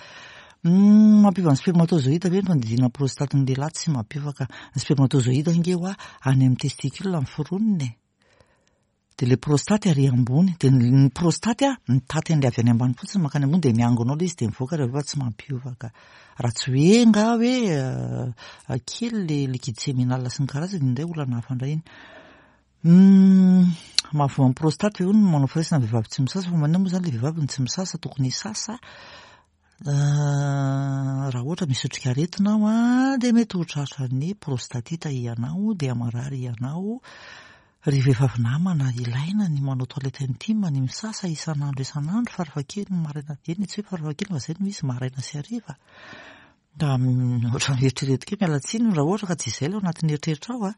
[SPEAKER 1] Humm mampiova ny spermatozoïde ve ny fandidiana prostate ny lehilahy? Tsy mampiova ka. Ny spermatozoïde ange hoa any amin'ny testicule ny foroniny e. Dia ilay prostate ary ambony, dia ny prostate a, mitaty an'ilay avy any ambany fotsiny mankany ambony dia miangona ao ilay izy dia mivoaka rehefa tsy mampiova ka. Raha tsy hoe angaha hoe kely ilay liquide séminal sy ny karazany, iny indray olana hafa indray iny. Mahavoa ny prostate ve hono ny manao firaisana vehivavy tsy misasa fa maninona moa izany ilay vehivavy no tsy misasa, tokony hisasa. Raha ohatra misy otrikaretina ao an, dia mety ho tratran'ny prostatite ianao, dia marary ianao. Ry vehivavy namana, ilaina ny manao toilette intime, ny misasa isan'andro isan'andro, farafahakeliny maraina, eny tsy hoe farafahakeliny fa izay no izy, maraina sy hariva. Ohatran'ny eritreretiko hoe miala tsiny raha ohatra ka tsy izay ilay ao anatin'ny eritreritrao an.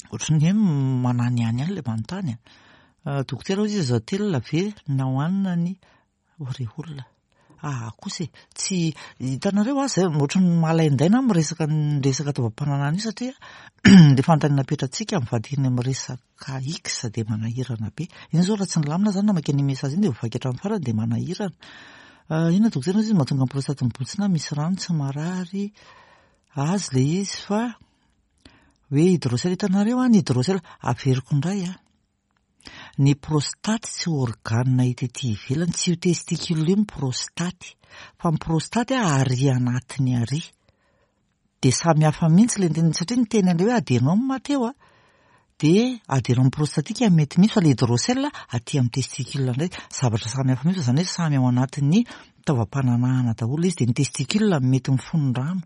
[SPEAKER 1] Ohatran'ny hoe mananihany ihany ilay manontany an. Dokotera hoy izy azo atelina ve na hohanina ny O ry olona aa kosa e! Tsy hitanareo aho zay ohatran'ny malaindaina aho miresaka ny resaka taovam-pananahana io satria le fanontaniana apetratsika mivadika any amin'ny resaka X dia manahirana be. Iny zao raha tsy nilamina zany namaky an'iny message iny dia voavaky hatramin'ny farany dia manahirana. Inona dokotera izy mahatonga ny prostate mibontsina misy rano tsy marary azy le izy fa hoe hydrocèle hitanareo an ny hydrocèle averiko indray an. Ny prostate tsy organe hita ety ivelany, tsy io testicule io ny prostate, fa ny prostate ary anatiny ary. Dia samy hafa mihitsy ilay nitenenina, satria niteny an'ilay hoe adenome teo a, dia adenome prostatique mety misy fa ilay hydrocèle aty amin'ny testicule indray, zavatra samy hafa mihitsy fa izany hoe samy ao anatin'ny taovam-pananahana daholo ilay izy, dia ny testicule mety mifono rano.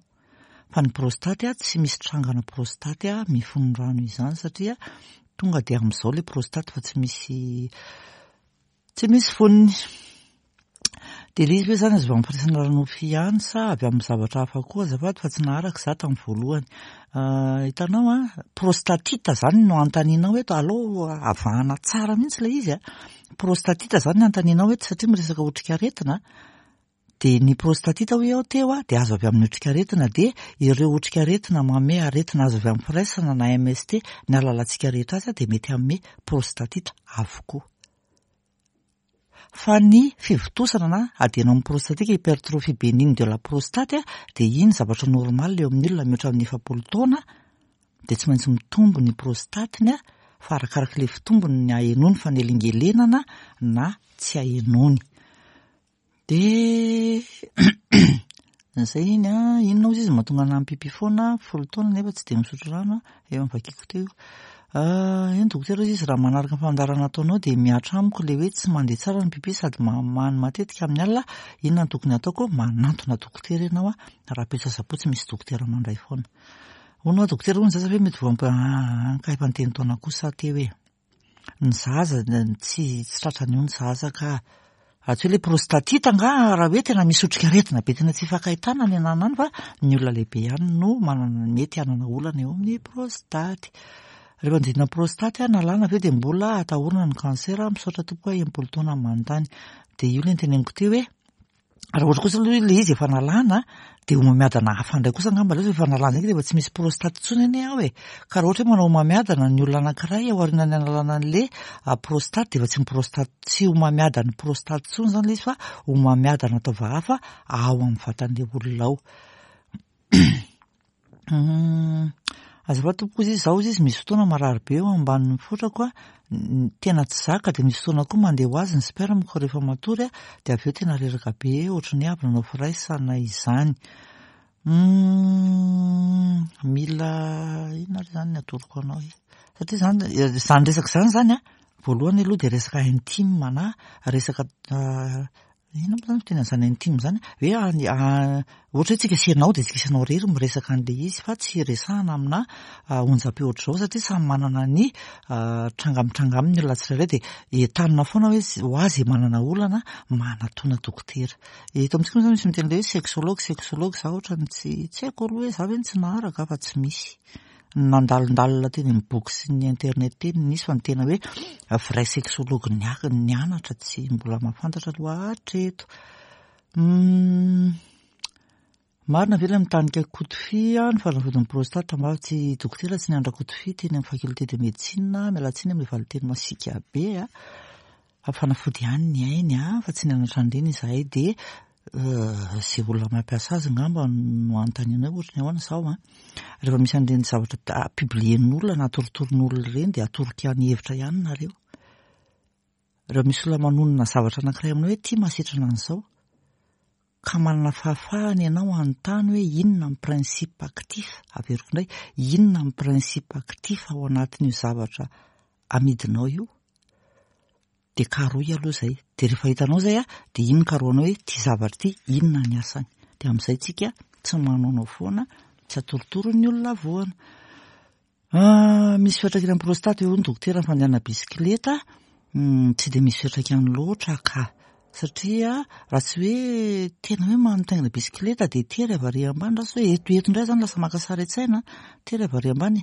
[SPEAKER 1] Fa ny prostate tsy misy trangana prostate mifono rano izany satria tonga dia amin'izao ilay prostate fa tsy misy tsy misy fonony. Dia ilay izy ve izany azo avy amin'ny firaisana ara-nofo ihany sa avy amin'ny zavatra hafa koa azafady fa tsy naharaka izaho tamin'ny voalohany. Hitanao an, prostatite izany no anontanianao eto, aleo avahana tsara mihitsy ilay izy an. Prostatite izany no anontanianao eto satria miresaka otrikaretina. Dia ny prostatite hoy aho teo dia azo avy amin'ny otrikaretina dia ireo otrikaretina manome aretina azo avy amin'ny firaisana na MST ny alalantsika rehetra azy dia mety hanome prostatite avokoa. Fa ny fivontosana na adenome prostatique hypertrophie bénigne de la prostate dia iny zavatra normal eo amin'ny olona mihoatra amin'ny 40 taona dia tsy maintsy mitombo ny prostate-ny fa arakarak'ilay fitombony ny ahenoany fanelingelenana na tsy ahenoany. Dia izay iny an, inona ozy izy mahatonga anah mipipi foana, 10 taona nefa tsy dia misotro rano an, efa novakiako teo io. Eny dokotera ozy izy raha manaraka ny fandaharana ataonao dia mihatra amiko ilay hoe tsy mandeha tsara ny pipi sady mamany matetika amin'ny alina, inona no tokony hataoko? Manantona dokotera ianao an, rahampitso asabotsy misy dokotera mandray foana. Hono hoa dokotera hono ny zaza ve mety voa ka efa niteny taona kosa aho teo e. Ny zaza tsy tsy tratran'io ny zaza ka. Raha tsy hoe ilay prostatite angaha raha hoe tena misy otrikaretina be tena tsy ifankahitana ny ananana any fa ny olona lehibe ihany no manana mety hanana olana eo amin'ny prostate. Rehefa nodidina prostate aho nalana avy eo dia mbola atahorana ny cancer, misaotra tompoko aho 60 taona manontany. Dia io ilay noteneniko teo hoe Raha ohatra kosa aloha ilay izy efa nalana dia homamiadana hafa indray kosa angamba ilay izy efa nalana izay dia efa tsy misy prostate intsony anie ao e. Ka raha ohatra hoe manao homamiadana ny olona anankiray ao aorianan'ny analana an'ilay ah, prostate dia efa tsy prostate tsy homamiadan'ny prostate intsony izany ilay izy fa homamiadana taova hafa ao amin'ny vatan'ilay olona ao. Azafady tompoko ozy izy, za ozy izy misy fotoana marary be eo ambanin'ny fotrako a, tena tsy zaka dia misy fotoana koa mandeha ho azy ny sperme-ko rehefa matory a, dia avy eo tena reraka be ohatran'ny hoe avy nanao firaisana izany. Humm, mila inona ary izany ny atoroko anao e? Satria izany, izany resaka izany izany a, voalohany aloha dia resaka intime na resaka Inona moa zany fiteny an'izany intime izany? Hoe any ohatra hoe tsika sy ianao dia tsika sy ianao irery miresaka an'ilay izy fa tsy resahana amina onjam-peo ohatr'izao satria samy manana ny tranga mitranga aminy ny olona tsirairay dia entanina foana hoe ho azy izay manana olana manatona dokotera. Eto amintsika moa izany misy miteny hoe sexologue sexologue za ohatran'ny tsy tsy haiko aloha hoe za ve no tsy naharaka fa tsy misy. Nandalondalina teny amin'ny boky sy ny internet teny nisy fa ny tena hoe vrai sexologue nianatra tsy mbola mahafantatra aloha hatreto. Marina ve ilay mitanika kotofia ny fanafodin'ny prostate mba tsy dokotera tsy nianatra kotofia teny amin'ny faculté de médecine miala tsiny amin'ilay valinteny masiaka be a. Fa fanafody ihany ny ainy a, fa tsy nianatra an'ireny izahay dia izay olona mampiasa azy angamba no anontaniana hoe ohatry ny ahoana izao an. Rehefa misy an'ireny zavatra publier-n'olona na atorotoroan'olona ireny dia atoroko ihany hevitra ihany nareo. Rehefa misy olona manonona zavatra anankiray aminao hoe ity mahasitrana an'izao, ka manana fahafahana ianao hanontany hoe inona ny principe actif, averiko indray, inona ny principe actif ao anatin'io zavatra amidinao io, dia karohy aloha izay, dia rehefa hitanao izay an, dia iny karohanao hoe ity zavatra ity inona ny asany, dia amin'izay tsika tsy manaonao foana, tsy atorotoro ny olona voana. Ah, misy fiantraikany amin'ny prostate eo ny dokotera ny fandehanana bisikileta, hmm, tsy dia misy fiantraikany loatra ka, satria raha tsy hoe tena hoe mitaingina bisikileta dia tery avy ary ambany, raha tsy hoe eto eto indray zany lasa maka sary an-tsaina, tery avy ary ambany.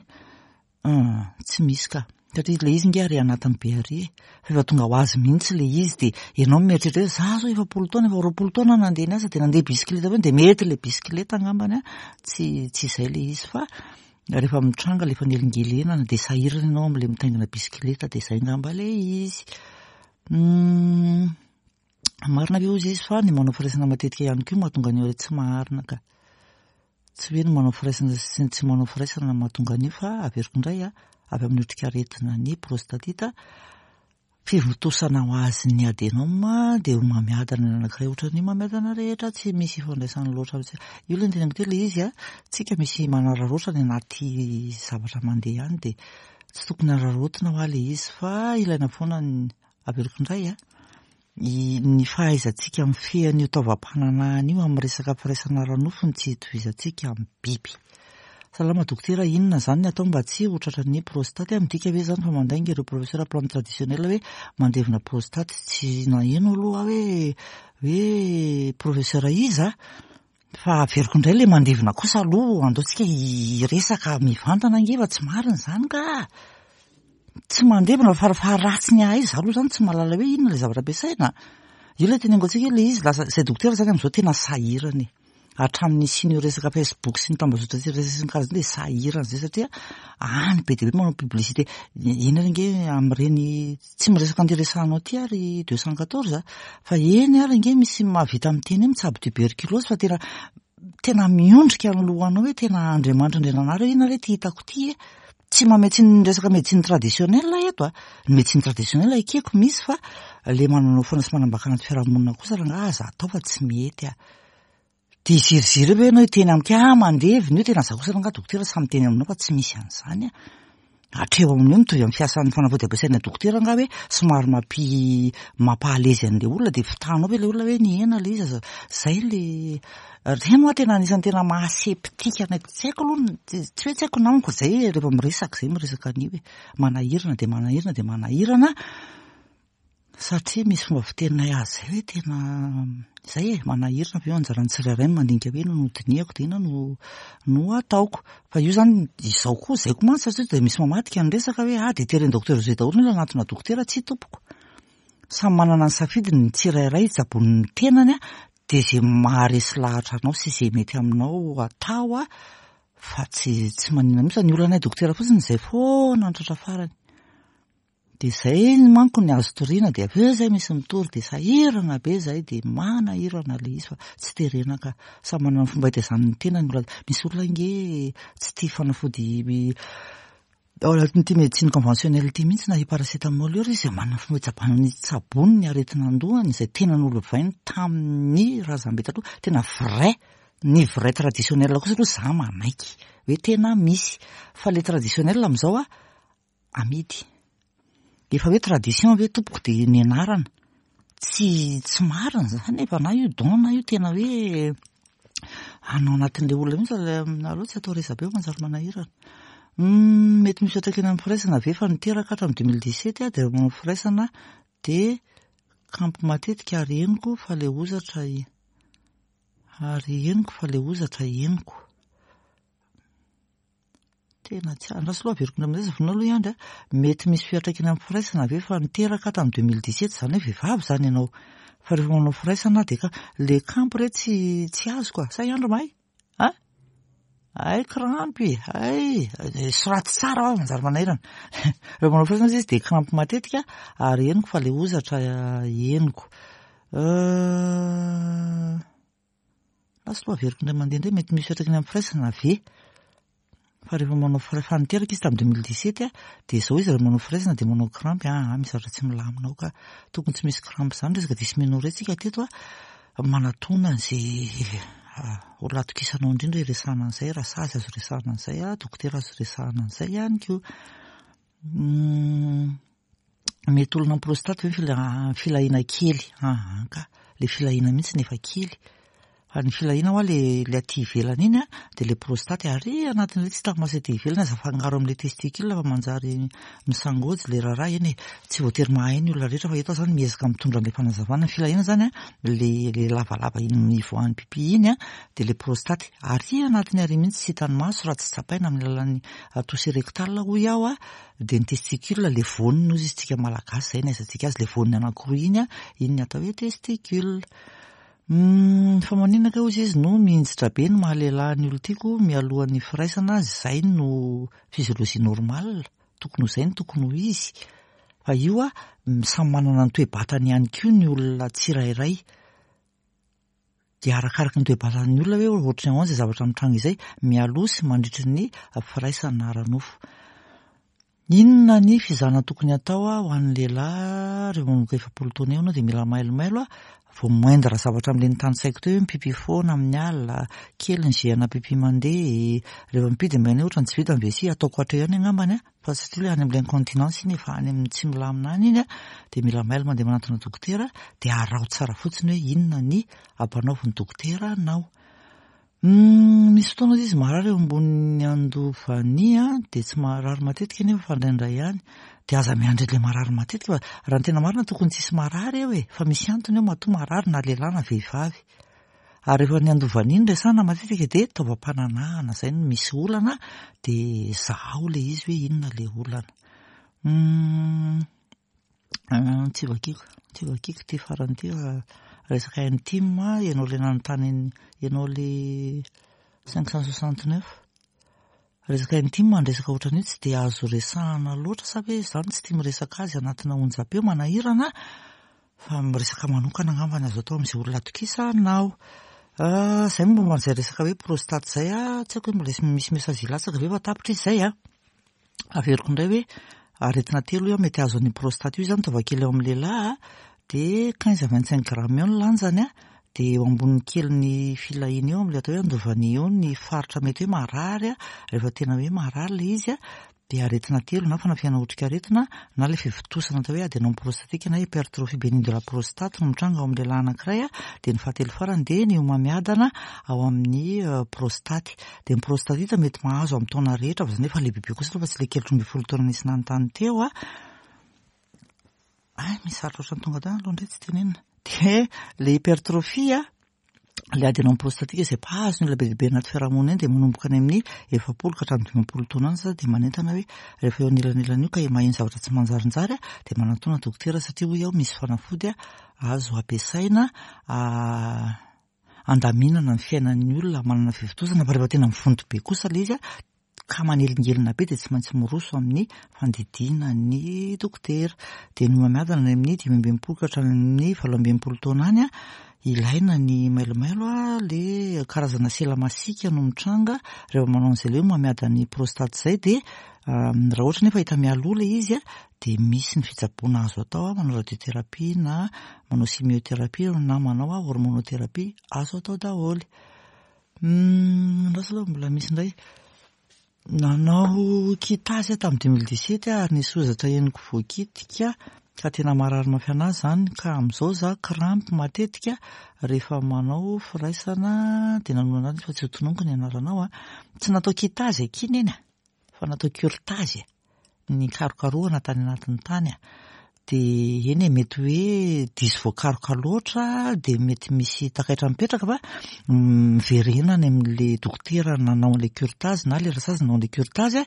[SPEAKER 1] Hum, tsy misy ka. Satria ilay izy nge ary anatiny be ary e. Fa efa tonga ho azy mihitsy ilay izy dia ianao mieritreritra hoe za zao efapolo taona, efa 20 taona nandeha niasa dia nandeha bisikileta foana dia mety ilay bisikileta angambany an, tsy tsy izay ilay izy fa rehefa mitranga ilay fanelingelenana dia sahirana ianao amin'ilay mitaingina bisikileta dia izay angamba ilay izy. Hum, marina ve hozy izy fa ny manao firaisana matetika ihany koa mahatonga ny tsy maharina ka. Tsy hoe ny manao firaisana sy ny tsy manao firaisana no mahatonga an'io fa averiko indray a, avy amin'ny otrikaretina ny prostatite, fivontosana ho azy ny adenome dia homamiadana ny anankiray ohatran'ny homamiadana rehetra, tsy misy ifandraisany loatra mihitsy. Io ilay noteneniko teo ilay izy a, tsika misy manararaotra any anaty zavatra mandeha any dia tsy tokony araraotina hoa ilay izy fa ilaina foana ny, averiko indray a, Ny fahaizantsika mifehy an'io taovam-pananahana io amin'ny resaka firaisana ara-nofo no tsy itovizantsika amin'ny biby. Salama dokotera, inona izany ny atao mba tsy ho tratran'ny prostate? Midika ve izany fa mandainga ireo professeur plante traditionnel hoe mandevina prostate? Tsy naheno aloha aho hoe hoe professeur iza Fa averiko indray ilay mandevina kosa aloha, andao tsika hiresaka mivantana ange fa tsy marina izany ka! Tsy mandevina fa farafaharatsiny ahay izaho aloha izany tsy mahalala hoe inona ilay zavatra ampiasaina. Io ilay teneniko antsika hoe ilay izy lasa, izay dokotera izany amin'izao tena sahirana e. Hatramin'ny nisian'io resaka Facebook sy ny tambazotra serasera sy ny karazany dia sahirana izay satria any be dia be manao publicité. Eny ary ange amin'ireny Tsy miresaka an'ity resahanao ity aho ry 214 a, fa eny ary ange misy mahavita miteny hoe mitsabo tuberculose fa tena tena miondrika ny lohanao hoe tena Andriamanitra Andriananahary hoe inona re ity hitako ity e. Tsy mamehy tsy ny resaka médecine traditionnelle eto a. Ny médecine traditionnelle ekeko misy fa le mananao foana sy manambaka anaty fiarahamonina kosa rangaha aza atao fa tsy mety a. Dia hiziriziry eo ve ianao hiteny amiko hoe ah mandevina io, tena za kosa rangaha dokotera sahy miteny aminao fa tsy misy an'izany ah. Hatreo amin'io mitovy amin'ny fiasan'ny fanafody ampiasaina dokotera angaha hoe somary mampi mampahalezy an'ilay olona dia fitahanao ve ilay olona hoe nihena ilay izy aza zay le ireny hoa tena anisan'ny tena maha septika anay tsy haiko aloha tsy hoe tsy haiko namako zay rehefa miresaka zay miresaka an'io hoe manahirana dia manahirana dia manahirana Satria misy fomba fiteninay azy izay hoe tena izay e, manahirana avy eo anjaran'ny tsirairay ny mandinika hoe inona no dinihako dia inona no no ataoko. Fa io izany izao koa, izay koa mantsy satria dia misy mamadika ny resaka hoe ah dia teren'ny docteur José daholo ny olona hanatona dokotera, tsia tompoko. Samy manana ny safidiny ny tsirairay hitsaboany ny tenany dia izay maharesy lahatra anao sy izay mety aminao atao fa tsy tsy maninona mihitsy fa ny olanay dokotera fotsiny izay foana ny tratra farany. Dia izay manko ny azo toriana dia avy eo izay misy mitory dia sahirana be izay dia manahirana ilay izy fa tsy terena ka. Samy manana ny fomba hitaizany ny tenany ny olona. Misy olona ange tsy tia fanafody ao anatin'ity médecine conventionnelle ity mihitsy na io paracétamol io ary izy dia manana ny fomba hitsabany ny tsabony ny aretina an-dohany izay tena nolovainy tamin'ny razambe taloha. Tena vrai, ny vrai traditionnel kosa aloha za manaiky hoe tena misy fa ilay traditionnel amin'izao a amidy. Efa hoe tradition ve tompoko dia nianarana. Tsy tsy marina izany efa na io don na io tena hoe hanao anatin'ilay olona mihitsy aleo tsy atao resabe fa manjary manahirana. Mety misy fiantraikany amin'ny firaisana ve fa niteraka hatramin'ny 2017 aho dia rehefa manao firaisana dia kampy matetika ary henoko fa ilay hozatra ary henoko fa ilay hozatra henoko. Tena tsy andraso aloha averiko indray amin'izay zavona aloha i Andry a. Mety misy fiantraikany amin'ny firaisana ve fa niteraka aho tamin'ny 2017 izany hoe vehivavy izany ianao. Fa rehefa manao firaisana dia ka le kampy re tsy tsy azoko a. Sa i Andry mahay? A? Hay krampy, hay soraty tsara fa manjary manahirana. Rehefa manao firaisana izy dia krampy matetika ary henoko fa le hozatra henoko. Lasa aloha averiko indray mandeha indray, mety misy fiantraikany amin'ny firaisana ve? Fa rehefa manao fira-, fa niteraka izy tamin'ny 2017 a, dia izao izy rehefa manao firaisana dia manao crampe, aa misy zavatra tsy milamina ao ka. Tokony tsy misy crampe izany, resaka dysménorrhée tsika teto a, manatona an'izay olona atokisanao indrindra hiresahana an'izay, rasazy azo resahana an'izay, dokotera azo resahana an'izay ihany koa. Mety olona amin'ny prostate ve ny filahiana kely? Aa ka, le filahiana mihitsy no efa kely. Fa ny filahiana hoa le le aty ivelany iny an, dia le prostate ary anatin'ilay tsy hita maso aty ivelany aza afangaro amin'ilay testicule fa manjary misangojo le raharaha. Eny e, tsy voatery mahay ny olona rehetra fa eto aho zany miezaka mitondra an'ilay fanazavana. Ny filahiana zany an, le le lavalava iny ivoahan'ny pipi iny an, dia le prostate ary anatiny ary mihitsy tsy hitan'ny maso raha tsy tsapaina amin'ny alalan'ny toucher rectal hoy aho an. Dia ny testicule le voaniny hozy izy tsika malagasy zay no ahaizantsika azy le voaniny anankiroa iny an, iny ny atao hoe testicule. Fa maninona kay hozy izy no mihinjitra be ny maha lehilahy ny olon-tiako mialohan'ny firaisana, zay no physiologie normale, tokony ho zay no tokony ho izy. Fa io an, samy manana ny toe-batany ihany koa ny olona tsirairay. Dia arakaraky ny toe-batan'ny olona hoe ohatry ny ahoana izay zavatra mitranga izay mialoha sy mandritry ny firaisana ara-nofo. Inona ny fizahana tokony hatao ho an'ny lehilahy rehefa manomboka 40 taona eo ianao dia mila mailomailo vao moindre zavatra amin'ilay notanisaiko teo hoe mipipi foana amin'ny alina, kely ny jus ana pipi mandeha, rehefa mipipi dia mba ohatran'ny tsy vita ny vessie, ataoko hatreo ihany angambany Fa satria ilay any amin'ilay incontinence iny efa any amin'ny tsy milamina any iny dia mila mailo mandeha manantona dokotera dia araho tsara fotsiny hoe inona ny ampanaovin'ny dokotera anao. Misy fotoana izy marary eo ambonin'ny andovania dia tsy marary matetika nefa fa indraindray ihany. Dia aza miandry ilay marary matetika fa raha ny tena marina tokony tsisy marary eo e, fa misy antony eo matoa marary na lehilahy na vehivavy. Ary rehefa ny andovania no resahana matetika dia taovam-pananahana izay no misy olana dia zahao ilay izy hoe inona ilay olana. Tsy vakiko, tsy vakiko ity farany ity fa resaka intime, ianao ilay nanontany, ianao ilay 569. Resaka intime ny resaka ohatran'io tsy dia azo resahana loatra sa ve izaho no tsy tia miresaka azy anatina onjam-peo manahirana fa miresaka manokana angamba ny azo atao amin'izay olona atokisanao. Izay momba an'izay resaka hoe prostate izay ah, tsy haiko hoe mbola misy message hilatsaka ve fa tapitra izy izay ah. Averiko indray hoe aretina telo io mety azo an'io prostate io izany taovakely eo amin'ny lehilahy dia 15 à 25 grammes eo ny lanjany dia eo ambonin'ny kelin'ny filahiana eo amin'ilay atao hoe andovania eo ny faritra mety hoe marary rehefa tena hoe marary ilay izy dia aretina telo na fanafihana otrikaretina na ilay fivontosana atao hoe adenome prostatique na hypertrophie bénigne de la prostate no mitranga ao amin'ny lehilahy anankiray dia ny fahatelo farany dia ny homamiadana ao amin'ny prostaty. Dia ny prostatite mety mahazo amin'ny taona rehetra fa izany efa lehibebe kosa aloha fa tsy ilay kely 13 taona nisy nanontany teo a. Ay, misy zavatra ohatran'ny tonga tany aloha indray tsy tenenina. Dia ilay hypertrophie a, ilay adenome prostatique izay mpahazo ny olona be dia be anaty fiarahamonina eny dia manomboka any amin'ny 40 ka hatramin'ny 50 taona any za dia manentana hoe rehefa eo anelanelana io ka maheno zavatra tsy manjarinjary dia manatona dokotera satria hoy aho misy fanafody azo ampiasaina andaminana ny fiainan'ny olona manana fivontosana fa rehefa tena mivonto be kosa ilay izy. ka manelingelina be dia tsy maintsy miroso amin'ny fandidiana ny dokotera. Dia ny homamiadana any amin'ny 65 ka hatramin'ny 68 taona any, ilaina ny mailomailo, le karazana sela masiaka no mitranga rehefa manao an'izay le homamiadan'ny prostate izay. Dia raha ohatra nefa hita mialoha ilay izy dia misy ny fitsaboana azo atao, manao radiothérapie na manao chimiothérapie na manao hormonothérapie, azo atao daholo. Andraso aloha mbola misy indray. Nanao curettage aho tamin'ny 2017 ary nisy hozatra henoko voakitika ka tena marary mafy anahy izany, ka amin'izao za crampe matetika rehefa manao firaisana. Dia nanao anazy fa tsy ho tononiko ny anaranao a. Tsy natao curettage akia neny a, fa natao curettage ny karokarohana tany anatin'ny tany a. Dia eny e, mety hoe diso voakaroka loatra dia mety misy takaitra mipetraka, fa miverena any amin'le dokotera nanao an'le curettage na le rasazy nanao an'le curettage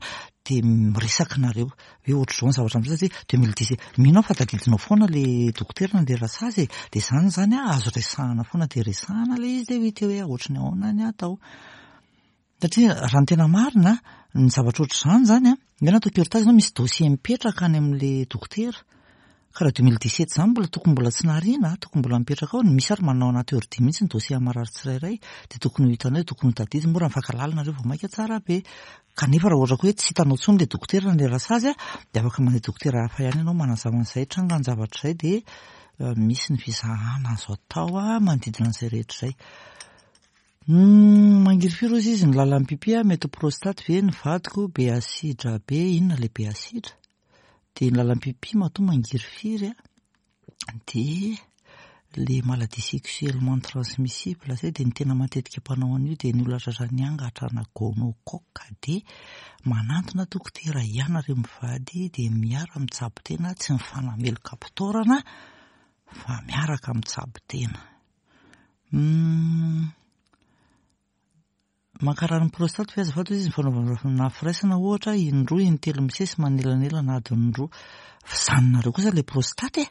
[SPEAKER 1] dia miresaka nareo hoe ohatr'izao ny zavatra misy, satria 2017 mino aho fa tadidinao foana le dokotera na le rasazy e. Dia izany zany a, azo resahana foana, dia resahana le izy dia ho hita eo hoe ohatry ny ahoana ny atao. Satria raha ny tena marina, ny zavatra ohatr'izany zany a, ny hoe natao curettage zany misy dossier mipetraka any amin'le dokotera. Ka raha 2017 izany mbola tokony mbola tsy nariana, tokony mbola mipetraka ao, misy ary manao anaty ordi mihitsy ny dossier marary tsirairay, dia tokony ho hitanao, tokony ho tadidy, moa raha mifankahalala nareo vao mainka tsara be. Kanefa raha ohatra koa hoe tsy hitanao intsony le dokotera na le rasazy a, dia afaka mandeha dokotera hafa ihany ianao manazava an'izay trangan-javatra izay, dia misy ny fizahana azo atao manodidina an'izay rehetra izay. Mangirifiry hozy izy ny lalan'ny pipi a, mety ho prostate ve ny vadiko, be asidra be, inona le be asidra? Dia ny lalan'ny pipi matoa mangirifiry a, dia le maladie sexuellement transmissible zay, dia ny tena matetika mpanao an'io dia ny olona tratran'ny angatra na gonocoque, dia manantona dokotera ianareo mivady dia miara mitsabo tena, tsy mifanameloka am-pitaorana fa miaraka mitsabo tena. Mankarary ny prostate ve azafady hoy izy ny fanaovana firaisana ohatra indroa intelo misesy manelanelana adiny roa. Fa zaninareo kosa ilay prostate e!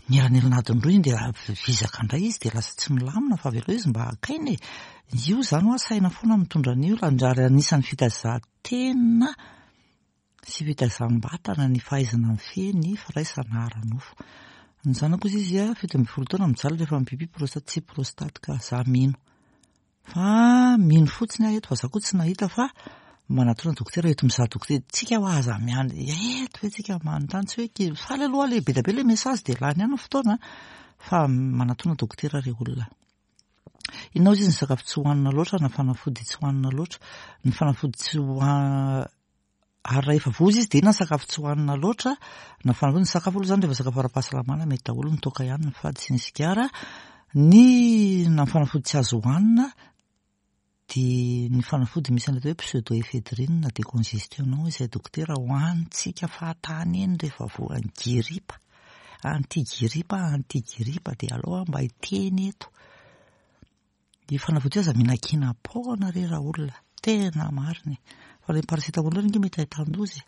[SPEAKER 1] Mielanelana adiny roa iny dia vizaka indray izy dia lasa tsy milamina fa avelao izy mba haka aina e! Io izany hoa saina foana mitondra an'io ary anisan'ny fitaizan-tena sy fitaizam-batana ny fahaizana mifehy ny firaisana ara-nofo. Ny zanako izy izy 17 taona mijaly rehefa mipipi prostate, tsy prostate ka za mino. Fa mino fotsiny aho eto fa za koa tsy nahita fa manatona dokotera eto mizaha dokotera. Tsika hoa aza miandry eto ve tsika manontany, tsy hoe ki-, faly aloha le be dia be le message dia lany ihany ny fotoana fa manatona dokotera re olona. Inona hozy izy ny sakafo tsy hohanina loatra na fanafody tsy hohanina loatra? Ny fanafody tsy hoha-, ary raha efa voa izy dia inona ny sakafo tsy hohanina loatra na fanafody? Ny sakafo aloha izany rehefa sakafo ara-pahasalamana mety daholo, ny toaka ihany ny fady sy ny sigara. Ny na fanafody tsy azo hohanina dia ny fanafody misy an'ilay atao hoe pseudoephedrine décongestionnant izay dokotera hohanintsika fahatany eny rehefa voan'ny giripa, anti-giripa, anti-giripa dia aleo aho mba hiteny eto. Io fanafody io aza mihinan-kinam-poana re raolona, tena marina e. Fa ilay paracétamol io ange mety ahitan-doza e.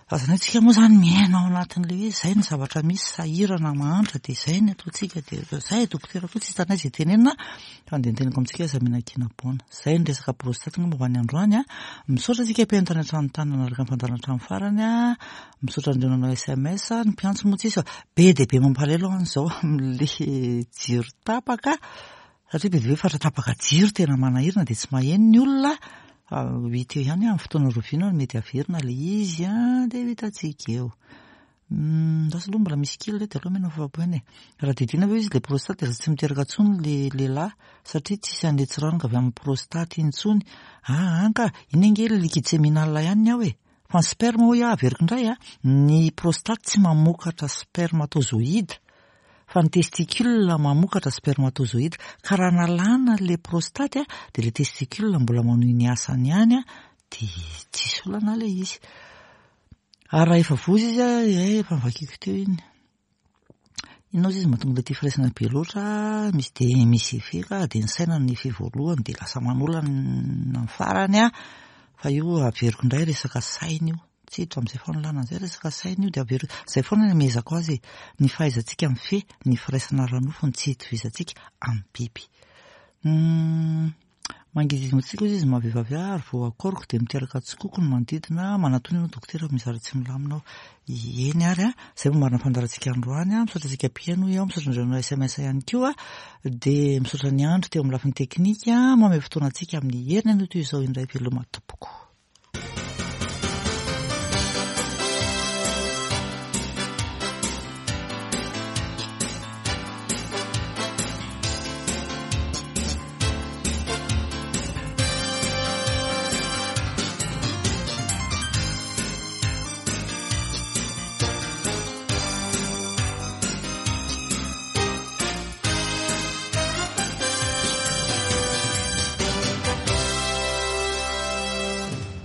[SPEAKER 1] Fa izany hoe tsika moa izany miaina ao anatin'ilay hoe izay ny zavatra misy, sahirana, mahantra, dia izay ny ataontsika, dia izay dokotera koa tsy hitanay izay tenenina, fa andeha teneniko amintsika aza mihinan-kinam-poana. Izay ny resaka prostate angamba ho an'ny androany a. Misaotra antsika mpihaino tany an-trano tany nanaraka ny fandaharana hatramin'ny farany a. Misaotra an'ireo nanao SMS, ny mpiantso moa tsisy fa be dia be mampalahelo aho izao amin'ilay jiro tapaka satria be dia be faritra tapaka jiro tena manahirana dia tsy maheno ny olona. Fa ho hita eo ihany amin'ny fotoana roviana no mety haverina ilay izy dia ho hitantsika eo. Lasa aloha mbola misy kely ireto dia aleo omena fahafahampo e. Raha didiana ve izy ilay prostate dia tsy miteraka intsony ilay lehilahy satria tsisy an'ilay tsiranoka avy amin'ny prostate intsony. Aa ka, iny ange ilay liquide séminal ihany ny ao e. Fa ny sperme hoy aho averiko indray a, ny prostate tsy mamokatra spermatozoïde fa ny testicule mamokatra spermatozoïde. Ka raha nalana le prostate a, dia le testicule mbola manohy ny asany ihany a, dia tsisy olana le izy. Ary raha efa voza izy a, eh, efa novakiako teo iny. Inona ozy izy mahatonga ilay tia firaisana be loatra, misy dia misy effet ka, dia ny saina no effet voalohany dia lasa manolana ny farany an, fa io averiko indray resaka saina io, tsy hiditra amin'izay fanolanana izay resaka saina io dia averiko, izay foana no amehezako azy e, ny fahaizantsika mifehy ny firaisana ara-nofo no tsy hitovizantsika amin'ny biby. Mangidihidy mantsika hozy izy maha vehivavy ahy ary vao akoriko dia miteraka tsikoko ny manodidina, manatona ianao dokotera fa misy zavatra tsy milamina ao. Eny ary a, izay vao marina fandaharantsika androany a, misaotra antsika mpihaino hoy aho, misaotra an'ireo nanao sms ihany koa, dia misaotra an'i Andry teo amin'ny lafiny teknika, manome fotoana antsika amin'ny heriny anio toy izao indray veloma tompoko.